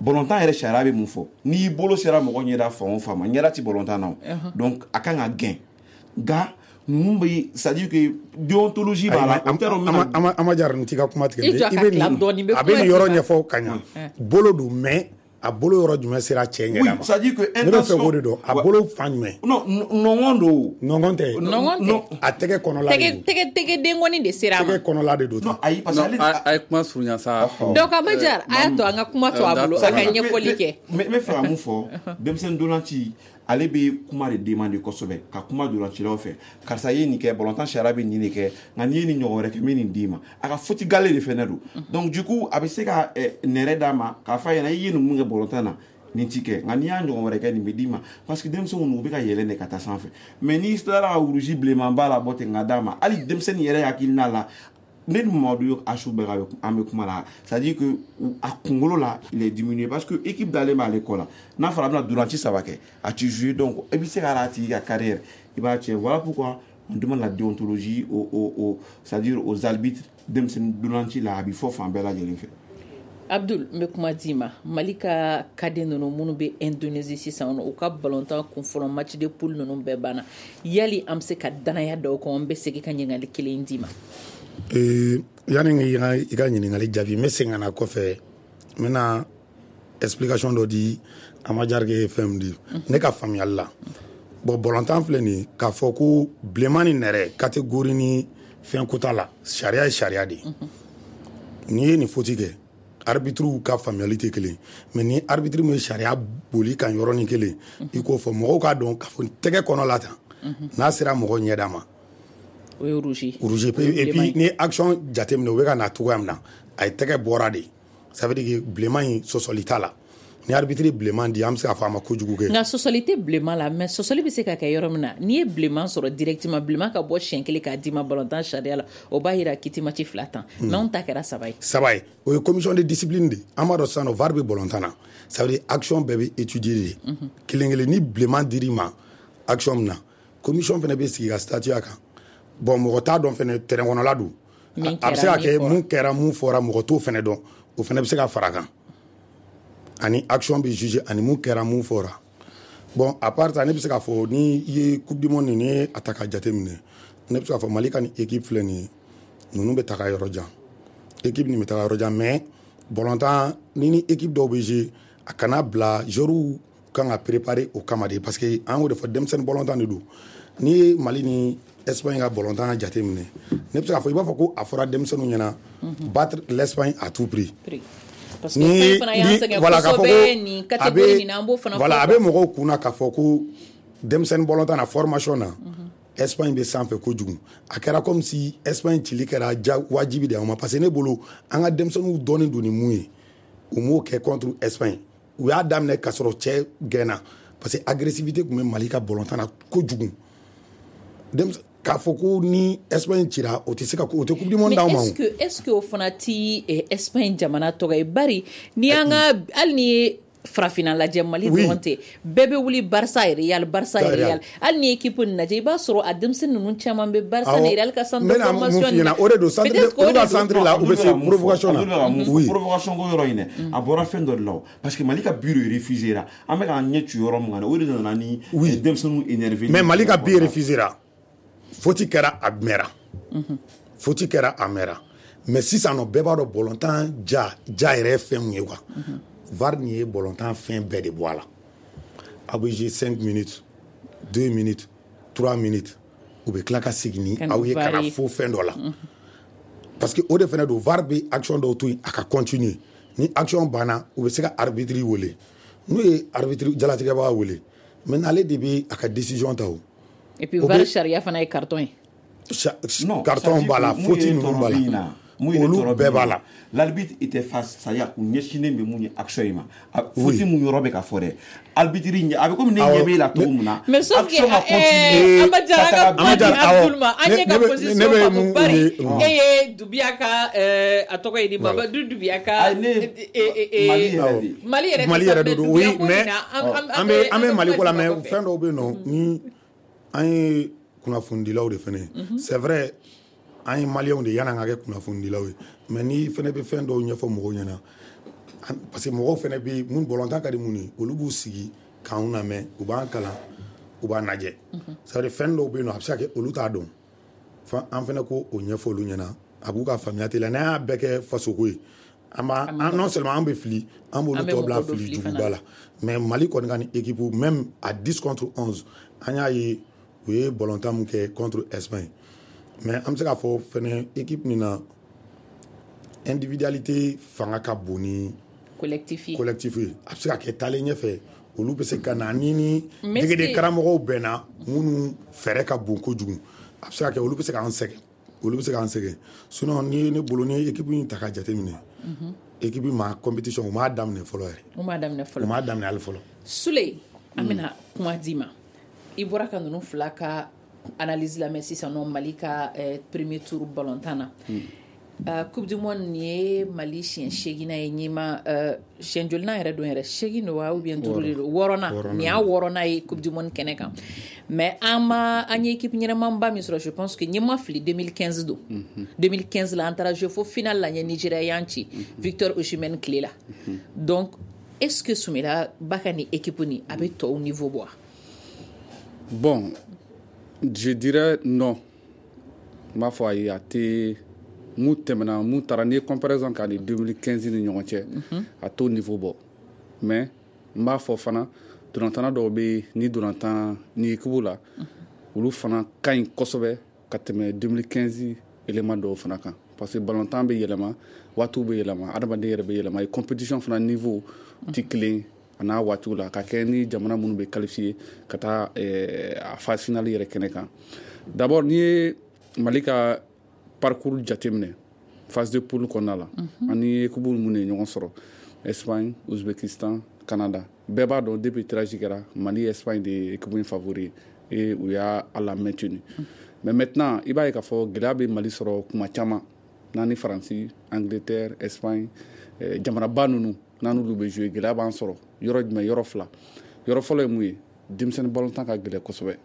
Ballontan yɛrɛ sariya bɛ mun fɔ? N'i bolo sera mɔgɔ ɲɛda fan o fan ma, ɲɛda ti ballontan na o. Donc a kan ka gɛn. Nka ninnu bɛ, c'est à dire que déontologie b'a la. Ama Diarra, n t'i ka kuma tigɛ. I bɛ nin, a bɛ nin yɔrɔ ɲɛfɔ ka ɲa. Bolo don, mais a bolo yɔrɔ jumɛn sera cɛ ɲɛda ma? Oui, c'est à dire que ne bɛ fɛ k'o de dɔn. A bolo fan jumɛn? Non, nɔngɔn don. Nɔngɔn tɛ. Nɔngɔn tɛ. A tɛgɛ kɔnɔla de don. Tɛgɛ denkɔni de sera a ma. Tɛgɛ kɔnɔla de don. Non, ayi, parce que ale a ye kuma surunya sa. Donc Ama Diarra, a y'a to an ka kuma to a bolo, a ka ɲɛfɔli kɛ. N bɛ fɛ ka mun fɔ, denmisɛnnin dolanci ale bɛ kuma de demande kosɛbɛ, ka kuma dolancilaw fɛ. Karisa ye nin kɛ, ballontan sariya bɛ nin de kɛ, nka n'i ye nin ɲɔgɔn wɛrɛ kɛ, n bɛ nin d'i ma. A ka faute gale de fɛnɛ don. Donc du coup a bɛ se ka nɛrɛ d'a ma k'a fɔ a ɲɛna i ye nin mun kɛ ballontan na, nin ti kɛ, nka n'i y'a ɲɔgɔn wɛrɛ kɛ nin bɛ d'i ma. Parce que denmisɛnninw u bɛ ka yɛlɛn de ka taa sanfɛ. Mais n'i tilara ka rouge bilenmanba labɔ ten ka d'a ma, hali denmisɛnnin yɛrɛ hakilina la, ne ni Mamadu Asu bɛɛ ka an bɛ kuma la, c'est à dire que a kunkolo la il est diminué parce que équipe dalen b'ale kɔ la. N'a fɔra a bɛna dolanci 3 kɛ, a ti jouer, donc i bɛ se ka a tigi ka carrière i b'a tiɲɛ. Voilà pourquoi on demande la déontologie au c'est à dire aux arbitres denmisɛnnin dolanci la, a bɛ fɔ fan bɛɛ lajɛlen fɛ. Abdul, n bɛ kuma d'i ma. Mali ka cadet ninnu minnu bɛ Indonésie sisan, u ka ballontan kun fɔlɔ match de poule ninnu bɛɛ banna. Yali an bɛ se ka danaya da o kan? N bɛ segin ka ɲininkali kelen d'i ma. Yanni i ka ɲininkali jaabi, n bɛ segin ka na kɔfɛ, n bɛna explication dɔ di Ama Diarra ye fɛn min di ne ka faamuyali la. Bon, ballontan filɛ nin ye, k'a fɔ ko bilenman ni nɛrɛ catégorie ni fɛn ko t'a la, sariya ye sariya de ye. N'i ye nin faute kɛ, arbitre ka faamuyali tɛ kelen, mais ni arbitre min ye sariya boli kan yɔrɔnin kelen, i k'o fɔ mɔgɔw k'a dɔn k'a fɔ tɛgɛ kɔnɔ la tan, n'a sera mɔgɔ ɲɛda ma, o ye rouge. Rouge. Et puis ni action jateminɛ, u bɛ ka na cogoya min na, a ye tɛgɛ bɔra de, ça veut dire que bilenman in sɔsɔli t'a la. Ni arbitre bilenman di, an bɛ se k'a fɔ a ma kojugu kɛ. Nka sɔsɔli tɛ bilenman la, mais sɔsɔli bɛ se ka kɛ yɔrɔ min na, n'i ye bilenman sɔrɔ directement, bilenman ka bɔ siɲɛ kelen k'a d'i ma ballontan sariya la, o b'a yira k'i tɛ match 2 tan. Mais anw ta kɛra 3 ye. 3 ye, o ye commission de discipline de. An b'a dɔn sisan nɔ VAR bɛ ballontan na, ça veut dire action bɛɛ bɛ étudier de. Kelen kelen, ni bilenman dir'i ma action min na, commission fana bɛ sigi ka statuer a kan. Bon, mɔgɔ t'a dɔn fɛnɛ, terrain kɔnɔla don, a bɛ se ka kɛ mun kɛra, mun fɔra, mɔgɔ t'o fɛnɛ dɔn, o fɛnɛ bɛ se ka fara kan. Ani action bɛ juger ani mun kɛra, mun fɔra. Bon, à part ça, ne bɛ se k'a fɔ ni i ye Coupe du monde ni ye a ta ka jate minɛ, ne bɛ se k'a fɔ Mali ka nin équipe filɛ nin ye, ninnu bɛ taga yɔrɔ jan. Équipe nin bɛ taga yɔrɔ jan, mais ballontan ni équipe dɔw bɛ jouer, a kana bila joueurs kan ka préparer o kama de, parce que an y'o de fɔ, denmisɛnnin ballontan de don. N'i ye Mali ni Espagne ka ballontan jate minɛ, ne bɛ se k'a fɔ i b'a fɔ ko a fɔra denmisɛnninw ɲɛna battre l'Espagne à tout prix. Parce que Espagne fana y'an sɛgɛn kosɛbɛ nin catégorie nin na, an b'o fana fɔ. Voilà, a bɛ mɔgɔw kunna k'a fɔ ko denmisɛnnin ballontan na formation na, Espagne bɛ sanfɛ kojugu. A kɛra comme si Espagne cili kɛra wajibi de y'anw ma, parce que ne bolo an ka denmisɛnninw dɔnnen don ni mun ye, u m'o kɛ contre Espagne. U y'a daminɛ k'a sɔrɔ cɛ gɛnna, parce que agressivité tun bɛ Mali ka ballontan na kojugu. K'a fɔ ko ni Espagne cira, o tɛ se ka, o tɛ Coupe du monde d'anw ma. Mais est-ce que o fana ti Espagne jamana tɔgɔ ye? Bari ni an ka hali ni ye farafinna lajɛ, Mali dɔrɔn tɛ, bɛɛ bɛ wuli Barça, Real, Barça, Real. Hali ni équipe nin lajɛ, i b'a sɔrɔ a denmisɛnnin ninnu caman bɛ Barça ni Real ka centre de formation na. O de don, centre olu ka centre la, u bɛ se provocation na. Oui, provocation ko yɔrɔ in dɛ, a bɔra fɛn dɔ de la o, parce que Mali ka but de refusé ra. An bɛ k'an ɲɛ ci yɔrɔ min kan, o de nana ni denmisɛnninw énervé. Mais Mali ka but refusé ra, faute kɛra, a mɛnna. Faute kɛra a mɛnna, mais sisan nɔ, bɛɛ b'a dɔn bɔlɔntan ja ja yɛrɛ ye fɛn mun ye quoi. VAR nin ye bɔlɔntan fɛn bɛɛ de bɔ a la. Aw bɛ jouer 5 minutes, 2 minutes, 3 minutes, u bɛ tila ka segin ni aw ye ka na fo fɛn dɔ la, parce que o de fana don. VAR bɛ action dɔw to yen a ka continuer. Ni action banna, u bɛ se ka arbitre wele. N'u ye arbitre jalatigɛbaga wele, maintenant ale de bɛ a ka décision ta o. Et puis VAR sariya fana ye carton ye. Non, carton b'a la, faute ninnu b'a la, olu bɛɛ b'a la. L'arbitre était face, c'est-à-dire u ɲɛsinnen bɛ mun ye action in ma, faute mun yɔrɔ bɛ ka fɔ dɛ, arbitre ɲɛ a bɛ komi ne ɲɛ b'e la cogo min na. Mais sauf que Ama Jara, an ka kuma di Abdul ma, an ye ka position faamu, bari e ye Dubiya ka, a tɔgɔ ye di, Mamadu Dubiya ka. Mali yɛrɛ. Mali yɛrɛ de don, oui, mais an bɛ Mali ko la, mais fɛn dɔw bɛ yen nɔ ni an ye kunnafonidilaw de fɛnɛ ye. C'est vrai, an ye maliyɛnw de yan'an ka kɛ kunnafonidilaw ye, mais ni fɛnɛ bɛ fɛn dɔw ɲɛfɔ mɔgɔw ɲɛna, parce que mɔgɔw fɛnɛ bɛ mun bɔlɔntan ka di mun ye, olu b'u sigi k'anw lamɛn, u b'an kalan, u b'an lajɛ. C'est à dire, fɛn dɔw bɛ yen nɔ, a bɛ se ka kɛ olu t'a dɔn, an fɛnɛ ko o ɲɛfɔ olu ɲɛna, a b'u ka faamuya teliya. N'an y'a bɛɛ kɛ fasoko ye, an b'a, non seulement an bɛ fili, an b'olu tɔ bila fili juguba la. Mais Mali kɔni ka ni équipe, même à 10 contre 11, an y'a ye u ye bɔlɔntan mun kɛ contre Espagne. Mais an bɛ se k'a fɔ fɛnɛ, équipe nin na, individualité fanga ka bon ni collectif ye. Collectif ye. A bɛ se ka kɛ taalen ɲɛfɛ, olu bɛ se ka na ni degeden karamɔgɔw bɛnna minnu fɛɛrɛ ka bon kojugu, a bɛ se ka kɛ olu bɛ se k'an sɛgɛn, olu bɛ se k'an sɛgɛn. Sinon, ni ne bolo, ni équipe in ta ka jateminɛ, équipe ma compétition u m'a daminɛ fɔlɔ yɛrɛ. U m'a daminɛ fɔlɔ. U m'a daminɛ hali fɔlɔ. Sule, an bɛna kuma d'i ma. I bɔra ka ninnu fila ka analyse lamɛn sisan nɔ, Mali ka premier tour balontan na. Coupe du monde nin ye Mali siɲɛ seeginna ye. Ɲima siɲɛ jolinan yɛrɛ don yɛrɛ? Seegin don wa, ou bien duuru de don? Wɔɔrɔnan nin y'a wɔɔrɔnan ye coupe du monde kɛnɛ kan. Mais an ma an ye équipe ɲɛnɛmanba min sɔrɔ, je pense que ɲɛma fili, 2015 don. 2015 la, an taara jouer fo finale la, ɲɛ Nigeria y'an ci Victor Osimhen tile la. Donc est ce que Sumela ba ka nin équipe nin, a bɛ tɔw niveau bɔ wa? Bon, je dirais non. N b'a fɔ ayi, a tɛ mun tɛmɛna, mun taara, n'i ye comparaison k'a ni 2015 ni ɲɔgɔn cɛ, a t'o niveau bɔ. Mais n b'a fɔ fana, dolantanna dɔw bɛ ni dolantan ni équipe la, olu fana ka ɲi kosɛbɛ ka tɛmɛ 2015 élément dɔw fana kan, parce que balontan bɛ yɛlɛma, waatiw bɛ yɛlɛma, adamaden yɛrɛ bɛ yɛlɛma, compétition fana niveau tɛ kelen a n'a waatiw la, ka kɛ ni jamana minnu bɛ qualifié ka taa a phase finale yɛrɛ kɛnɛ kan. D'abord, n'i ye Mali ka parcours jateminɛ phase de poule kɔnɔna la, ani équipe minnu ye ɲɔgɔn sɔrɔ, Espagne, Ouzbékistan, Canada, bɛɛ b'a dɔn depuis tirage kɛra, Mali, Espagne de ye équipe in favori ye et u y'a la maintenu. Mais maintenant, i b'a ye k'a fɔ gɛlɛya bɛ Mali sɔrɔ kuma caman n'a ni Faransi, Angleterre, Espagne, jamanaba ninnu, n'a n'olu bɛ jouer, gɛlɛya b'an sɔrɔ yɔrɔ jumɛn? Yɔrɔ fila. Yɔrɔ fɔlɔ ye mun ye? Denmisɛnnin balontan ka gɛlɛn kosɛbɛ.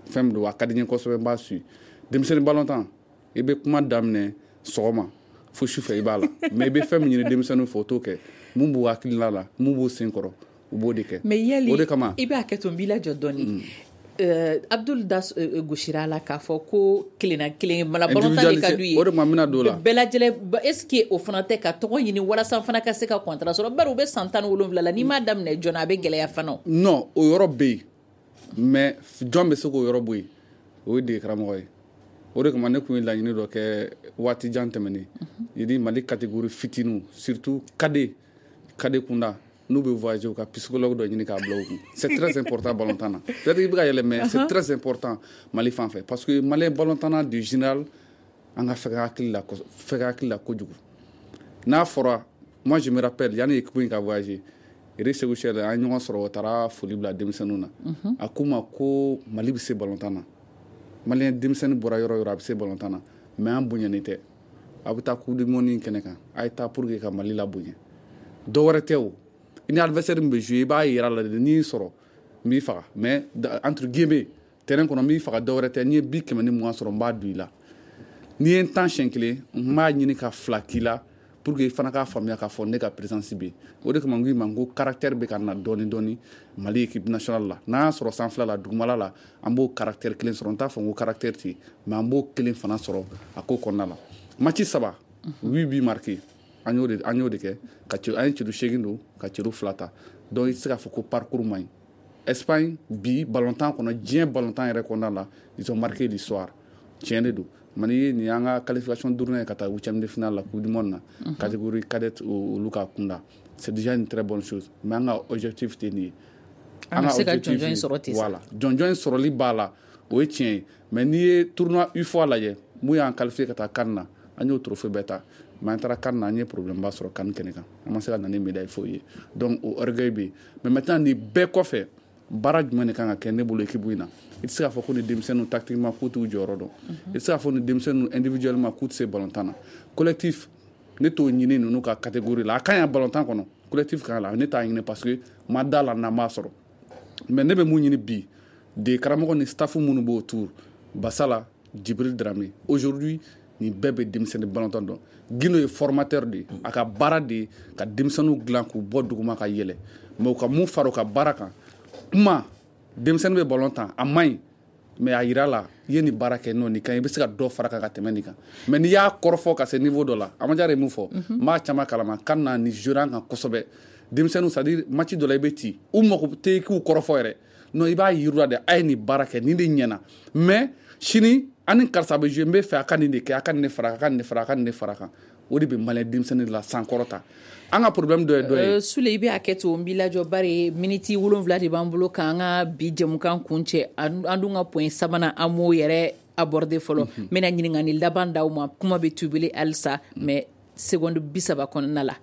Fɛn min don, a ka di n ye kosɛbɛ, n b'a suit. Denmisɛnnin balontan, i bɛ kuma daminɛ sɔgɔma fo sufɛ, i b'a la, mais i bɛ fɛn min ɲini denmisɛnninw fɛ, o t'o kɛ. Mun b'u hakilina la, mun b'u sen kɔrɔ, u b'o de kɛ. Mais yali o de kama i b'a kɛ to, n b'i lajɔ dɔɔni. Abdul da gosira la k'a fɔ ko kelenna kelen mala balontan de ka d'u ye. O de ma, n bɛna don o la. Bɛɛ lajɛlen, est ce que o fana tɛ ka tɔgɔ ɲini walasa fana ka se ka contrat sɔrɔ? Bari u bɛ san 17 la, n'i m'a daminɛ joona, a bɛ gɛlɛya fana. Non, o yɔrɔ bɛ yen, mais jɔn bɛ se k'o yɔrɔ bɔ yen? O ye dege karamɔgɔ ye. O de kama ne tun ye laɲini dɔ kɛ waati jan tɛmɛnen yedi, Mali catégorie fitininw, surtout cadet kunda, n'u bɛ voyager, u ka psychologue dɔ ɲini k'a bila u kun. C'est très important balontan na. Peut-être i bɛ ka yɛlɛ, mais c'est très important Mali fan fɛ, parce que malien balontan de général, an ka fɛgɛ hakili la, fɛgɛ hakili la kojugu. N'a fɔra, moi je me rappelle, yanni équipe in ka voyager, Eric Sékou Chelle, an ye ɲɔgɔn sɔrɔ, o taara foli bila denmisɛnninw na, a k'u ma ko Mali bɛ se balontan na, malien denmisɛnnin bɔra yɔrɔ o yɔrɔ, a bɛ se balontan na, mais an bonyanen tɛ. A bɛ taa coupe du monde in kɛnɛ kan, a ye taa pour que ka Mali la bonya. Dɔ wɛrɛ tɛ o, i ni adversaire min bɛ jouer, i b'a yira la de, n'i y'i sɔrɔ n b'i faga, mais entre guillemets, terrain kɔnɔ, n b'i faga, dɔ wɛrɛ tɛ, n'i ye bi 120 sɔrɔ, n b'a don i la. N'i ye n tan siɲɛ kelen, n b'a ɲini ka fila k'i la. Pour que i fana k'a faamuya k'a fɔ ne ka présence bɛ yen. O de kama n ko i ma, n ko caractère bɛ ka na dɔɔni dɔɔni Mali équipe nationale la. N'an y'a sɔrɔ sanfɛla la, dugumala la, an b'o caractère kelen sɔrɔ. N t'a fɔ n ko caractère tɛ yen, mais an b'o kelen fana sɔrɔ a ko kɔnɔna la. Match 3, 8 buts marqués, an y'o de kɛ ka an ye celu 8 don ka celu 2 ta. Donc i tɛ se k'a fɔ ko parcours man ɲi. Espagne bi ballontan kɔnɔ, diɲɛ ballontan yɛrɛ kɔnɔna la, ils ont marqué l'histoire. Tiɲɛ de don. Mali nin y'an ka qualification duurunan ye ka taa huitième de finale la Coupe du monde na, catégorie cadette olu ka kunda. C'est déjà une très bonne chose, mais an ka objectif tɛ nin ye. An bɛ se ka jɔnjɔn in sɔrɔ ten. Voilà, jɔnjɔn in sɔrɔli b'a la, o ye tiɲɛ ye. Mais n'i ye tournoi UFOA lajɛ, mun y'an qualifié ka taa CAN na, an y'o trophée bɛɛ ta. Mais an taara CAN na, an ye problème ba sɔrɔ CAN kɛnɛ kan, an ma se ka na ni médaille foyi ye. Donc o orgueil bɛ yen. Mais maintenant nin bɛɛ kɔfɛ, baara jumɛn de kan ka kɛ ne bolo équipe in na? I tɛ se k'a fɔ ko ni denmisɛnninw tactiquement k'u t'u jɔyɔrɔ dɔn, i tɛ se k'a fɔ ni denmisɛnninw individuellement k'u tɛ se ballontan na. Collectif, ne t'o ɲini ninnu ka catégorie la. A ka ɲi ballontan kɔnɔ, collectif kan la, ne t'a ɲini parce que ma da la n'an b'a sɔrɔ. Mais ne bɛ mun ɲini bi de karamɔgɔ ni staff minnu b'o tour, Basala, Djibril Dramé, aujourd'hui nin bɛɛ bɛ denmisɛnnin ballontan dɔn. Guino ye formateur de ye, a ka baara de ye ka denmisɛnninw dilan k'u bɔ duguma ka yɛlɛ. Mais u ka mun fara u ka baara kan, kuma denmisɛnnin bɛ ballon tan, a man ɲi, mais a yira la i ye nin baara kɛ, n'o nin kan, i bɛ se ka dɔ fara kan ka tɛmɛ nin kan. Mais n'i y'a kɔrɔfɔ ka se niveau dɔ la, Amadiara ye mun fɔ, n b'a caman kalama, kan na ni jouer an kan kosɛbɛ. Denmisɛnninw, c'est à dire match dɔ la i bɛ ci, u mako tɛ k'u kɔrɔfɔ yɛrɛ. Non, i b'a yir'u la de, a ye nin baara kɛ, nin de ɲɛna. Mais sini an ni karisa bɛ jouer, n bɛ fɛ a ka nin de kɛ, a ka nin de fara kan, a ka nin de fara, a ka nin de fara kan. O de bɛ malien denmisɛnnin la sankɔrɔta. An ka problème dɔ ye dɔ ye. Sule, i bɛ hakɛ to, n b'i lajɔ bari miniti 7 de b'an bolo k'an ka bi jɛmukan kun cɛ. An dun ka point sabanan, an m'o yɛrɛ aborder fɔlɔ. N bɛna ɲininkali laban d'aw ma, kuma bɛ tubili halisa, mais seconde 30 kɔnɔna la.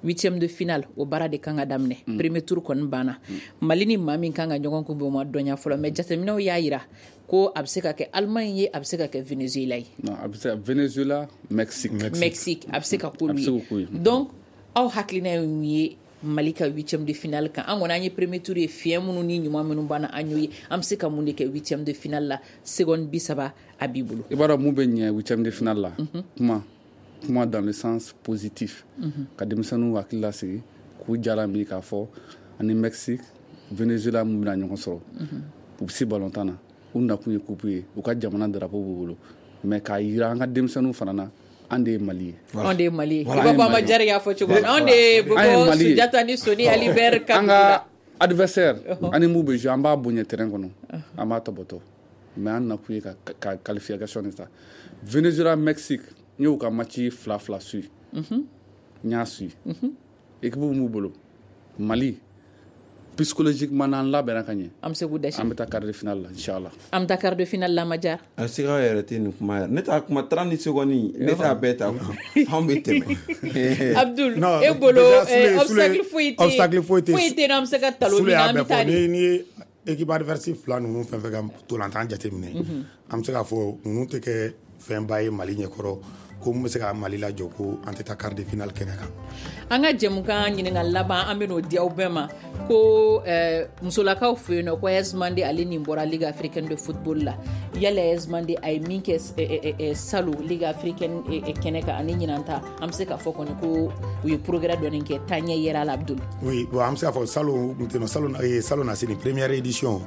Huitième de finale, o baara de kan ka daminɛ. Premier tour kɔni banna. Mali ni maa min kan ka ɲɔgɔn kunbɛn, o ma dɔnya fɔlɔ, mais jateminɛw y'a yira ko a bɛ se ka kɛ Allemagne ye, a bɛ se ka kɛ Venezuela ye. Non, a bɛ se ka Venezuela, Mexique. Mexique, a bɛ se ka k'olu ye. Donc aw hakilina ye mun ye Mali ka huitième de finale kan? An kɔni an ye premier tour ye, fiɲɛ minnu ni ɲuman minnu banna an y'o ye. An bɛ se ka mun de kɛ huitième de finale la? Seconde 30 a b'i bolo. I b'a dɔn mun bɛ ɲɛ huitième de finale la? Kuma dans le sens positif. Ka denmisɛnninw hakili lasigi, k'u jala min k'a fɔ ani Mexique, Venezuela mun bɛna ɲɔgɔn sɔrɔ. U bɛ se ballontan na, u nakun ye coupe ye, u ka jamana drapeau b'u bolo. Mais k'a yira an ka denmisɛnninw fana na, an de ye Mali ye. An de ye Mali ye. I b'a fɔ Amadiara y'a fɔ cogo min na, anw de ye Bobo Sunjata ni Soni Ali Ber ka. An ka adversaire, ani mun bɛ jouer, an b'a bonya terrain kɔnɔ, an b'a tɔbɔtɔ. Mais an nakun ye ka qualification de ta. Venezuela, Mexique, n y'u ka match 2-2 suit. N y'a suit. Équipe m'u bolo. Mali, psychologiquement n'an labɛnna ka ɲɛ, an bɛ se k'u dɛsɛ. An bɛ taa quart de finale la, inchallah. An bɛ taa quart de finale la, Amadiara. A siga yɛrɛ tɛ nin kuma yɛrɛ. Ne t'a kuma 30 secondes, ne t'a bɛɛ ta. Anw bɛ tɛmɛ. Abdul, e bolo obstacle foyi tɛ. Obstacle foyi tɛ. Foyi tɛ, n'an bɛ se ka talon min na, an bɛ taa de. Ni ye équipe adverse fila ninnu fɛn fɛn ka ntolantan jateminɛ, an bɛ se k'a fɔ ninnu tɛ kɛ fɛnba ye Mali ɲɛkɔrɔ, ko mun bɛ se ka Mali lajɔ ko an tɛ taa quart de finale kɛnɛ kan. An ka jɛmukan ɲininkali laban, an bɛ n'o di aw bɛɛ ma ko musolakaw fɛ yen nɔ, ko AS Mande ale nin bɔra Ligue africaine de football la. Yala AS Mande a ye min kɛ salon Ligue africaine kɛnɛ kan ani ɲinan ta, an bɛ se k'a fɔ kɔni ko u ye progrès dɔɔni kɛ, taaɲɛ yɛrɛ la, Abdul. Oui, bon, an bɛ se k'a fɔ salon salon na se nin première édition,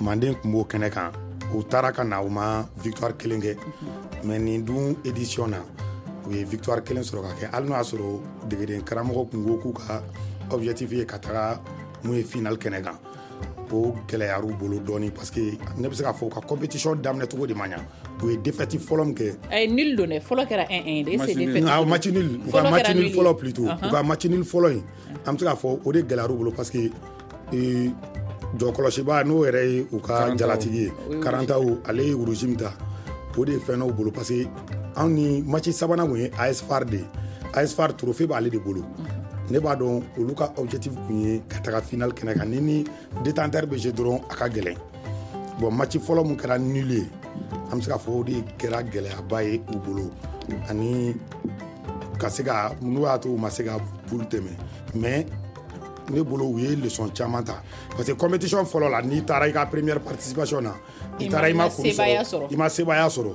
Manden tun b'o kɛnɛ kan. U taara ka na, u ma victoire kelen kɛ. Mais nin dun édition na, u ye victoire kelen sɔrɔ ka kɛ, hali n'o y'a sɔrɔ degeden karamɔgɔ kun ko k'u ka objectif ye ka taga mun ye finale kɛnɛ kan. O gɛlɛyar'u bolo dɔɔni parce que ne bɛ se k'a fɔ u ka compétition daminɛ cogo de ma ɲa. U ye défaite fɔlɔ min kɛ. Ayi, nul don dɛ, fɔlɔ kɛra 1-1 de, c'est défaite. Ah, match nul, u ka match nul fɔlɔ plutôt. U ka match nul fɔlɔ in, an bɛ se k'a fɔ o de gɛlɛyar'u bolo parce que jɔkɔlɔsiba n'o yɛrɛ ye u ka jalatigi ye, Karantaw, ale ye rouge min ta, o de ye fɛn dɔw bolo parce que anw ni match sabanan kun ye AS FAR de ye. AS FAR trophée b'ale de bolo. Ne b'a dɔn olu ka objectif kun ye ka taga finale kɛnɛ kan. Ni détenteur bɛ jouer dɔrɔn, a ka gɛlɛn. Bon, match fɔlɔ mun kɛra nul ye, an bɛ se k'a fɔ o de kɛra gɛlɛyaba ye u bolo, ani ka se ka n'u y'a to u ma se ka poule tɛmɛ. Mais ne bolo u ye leçon caman ta parce que compétition fɔlɔ la, n'i taara i ka première participation na, i taara i ma kuru sɔrɔ, i ma sebaaya sɔrɔ.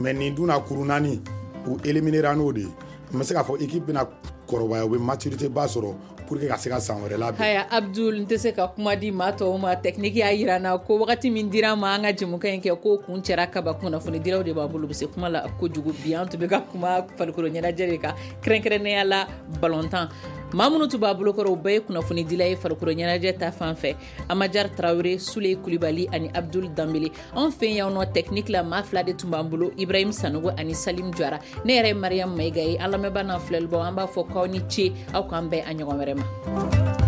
Mais nin dun na kuru 4, u éliminera n'o de ye. N bɛ se k'a fɔ équipe bɛna kɔrɔbaya, u bɛ maturité ba sɔrɔ pour que ka se ka san wɛrɛ labɛn. Haya Abdul, n tɛ se ka kuma di maa tɔw ma. Technique y'a yira n na ko wagati min dira an ma an ka jɛmukan in kɛ, ko kun cɛra kaba. Kunnafonidilaw de b'a bolo, u bɛ se kuma la kojugu. Bi an tun bɛ ka kuma farikolo ɲɛnajɛ de kan, kɛrɛnkɛrɛnnenya la balontan. Maa minnu tun b'a bolokɔrɔ, u bɛɛ ye kunnafonidila ye farikolo ɲɛnajɛ ta fan fɛ: Amajar Tarawele, Sule Kulibali ani Abdul Danbele. Anw fɛ yan nɔ, technique la, maa fila de tun b'an bolo, Ibrahim Sanogo ani Salim Jara. Ne yɛrɛ ye Mariam Mayiga ye. An lamɛnbaa n'an filɛlibaw, an b'a fɔ k'aw ni ce, aw k'an bɛn a ɲɔgɔn wɛrɛ ma.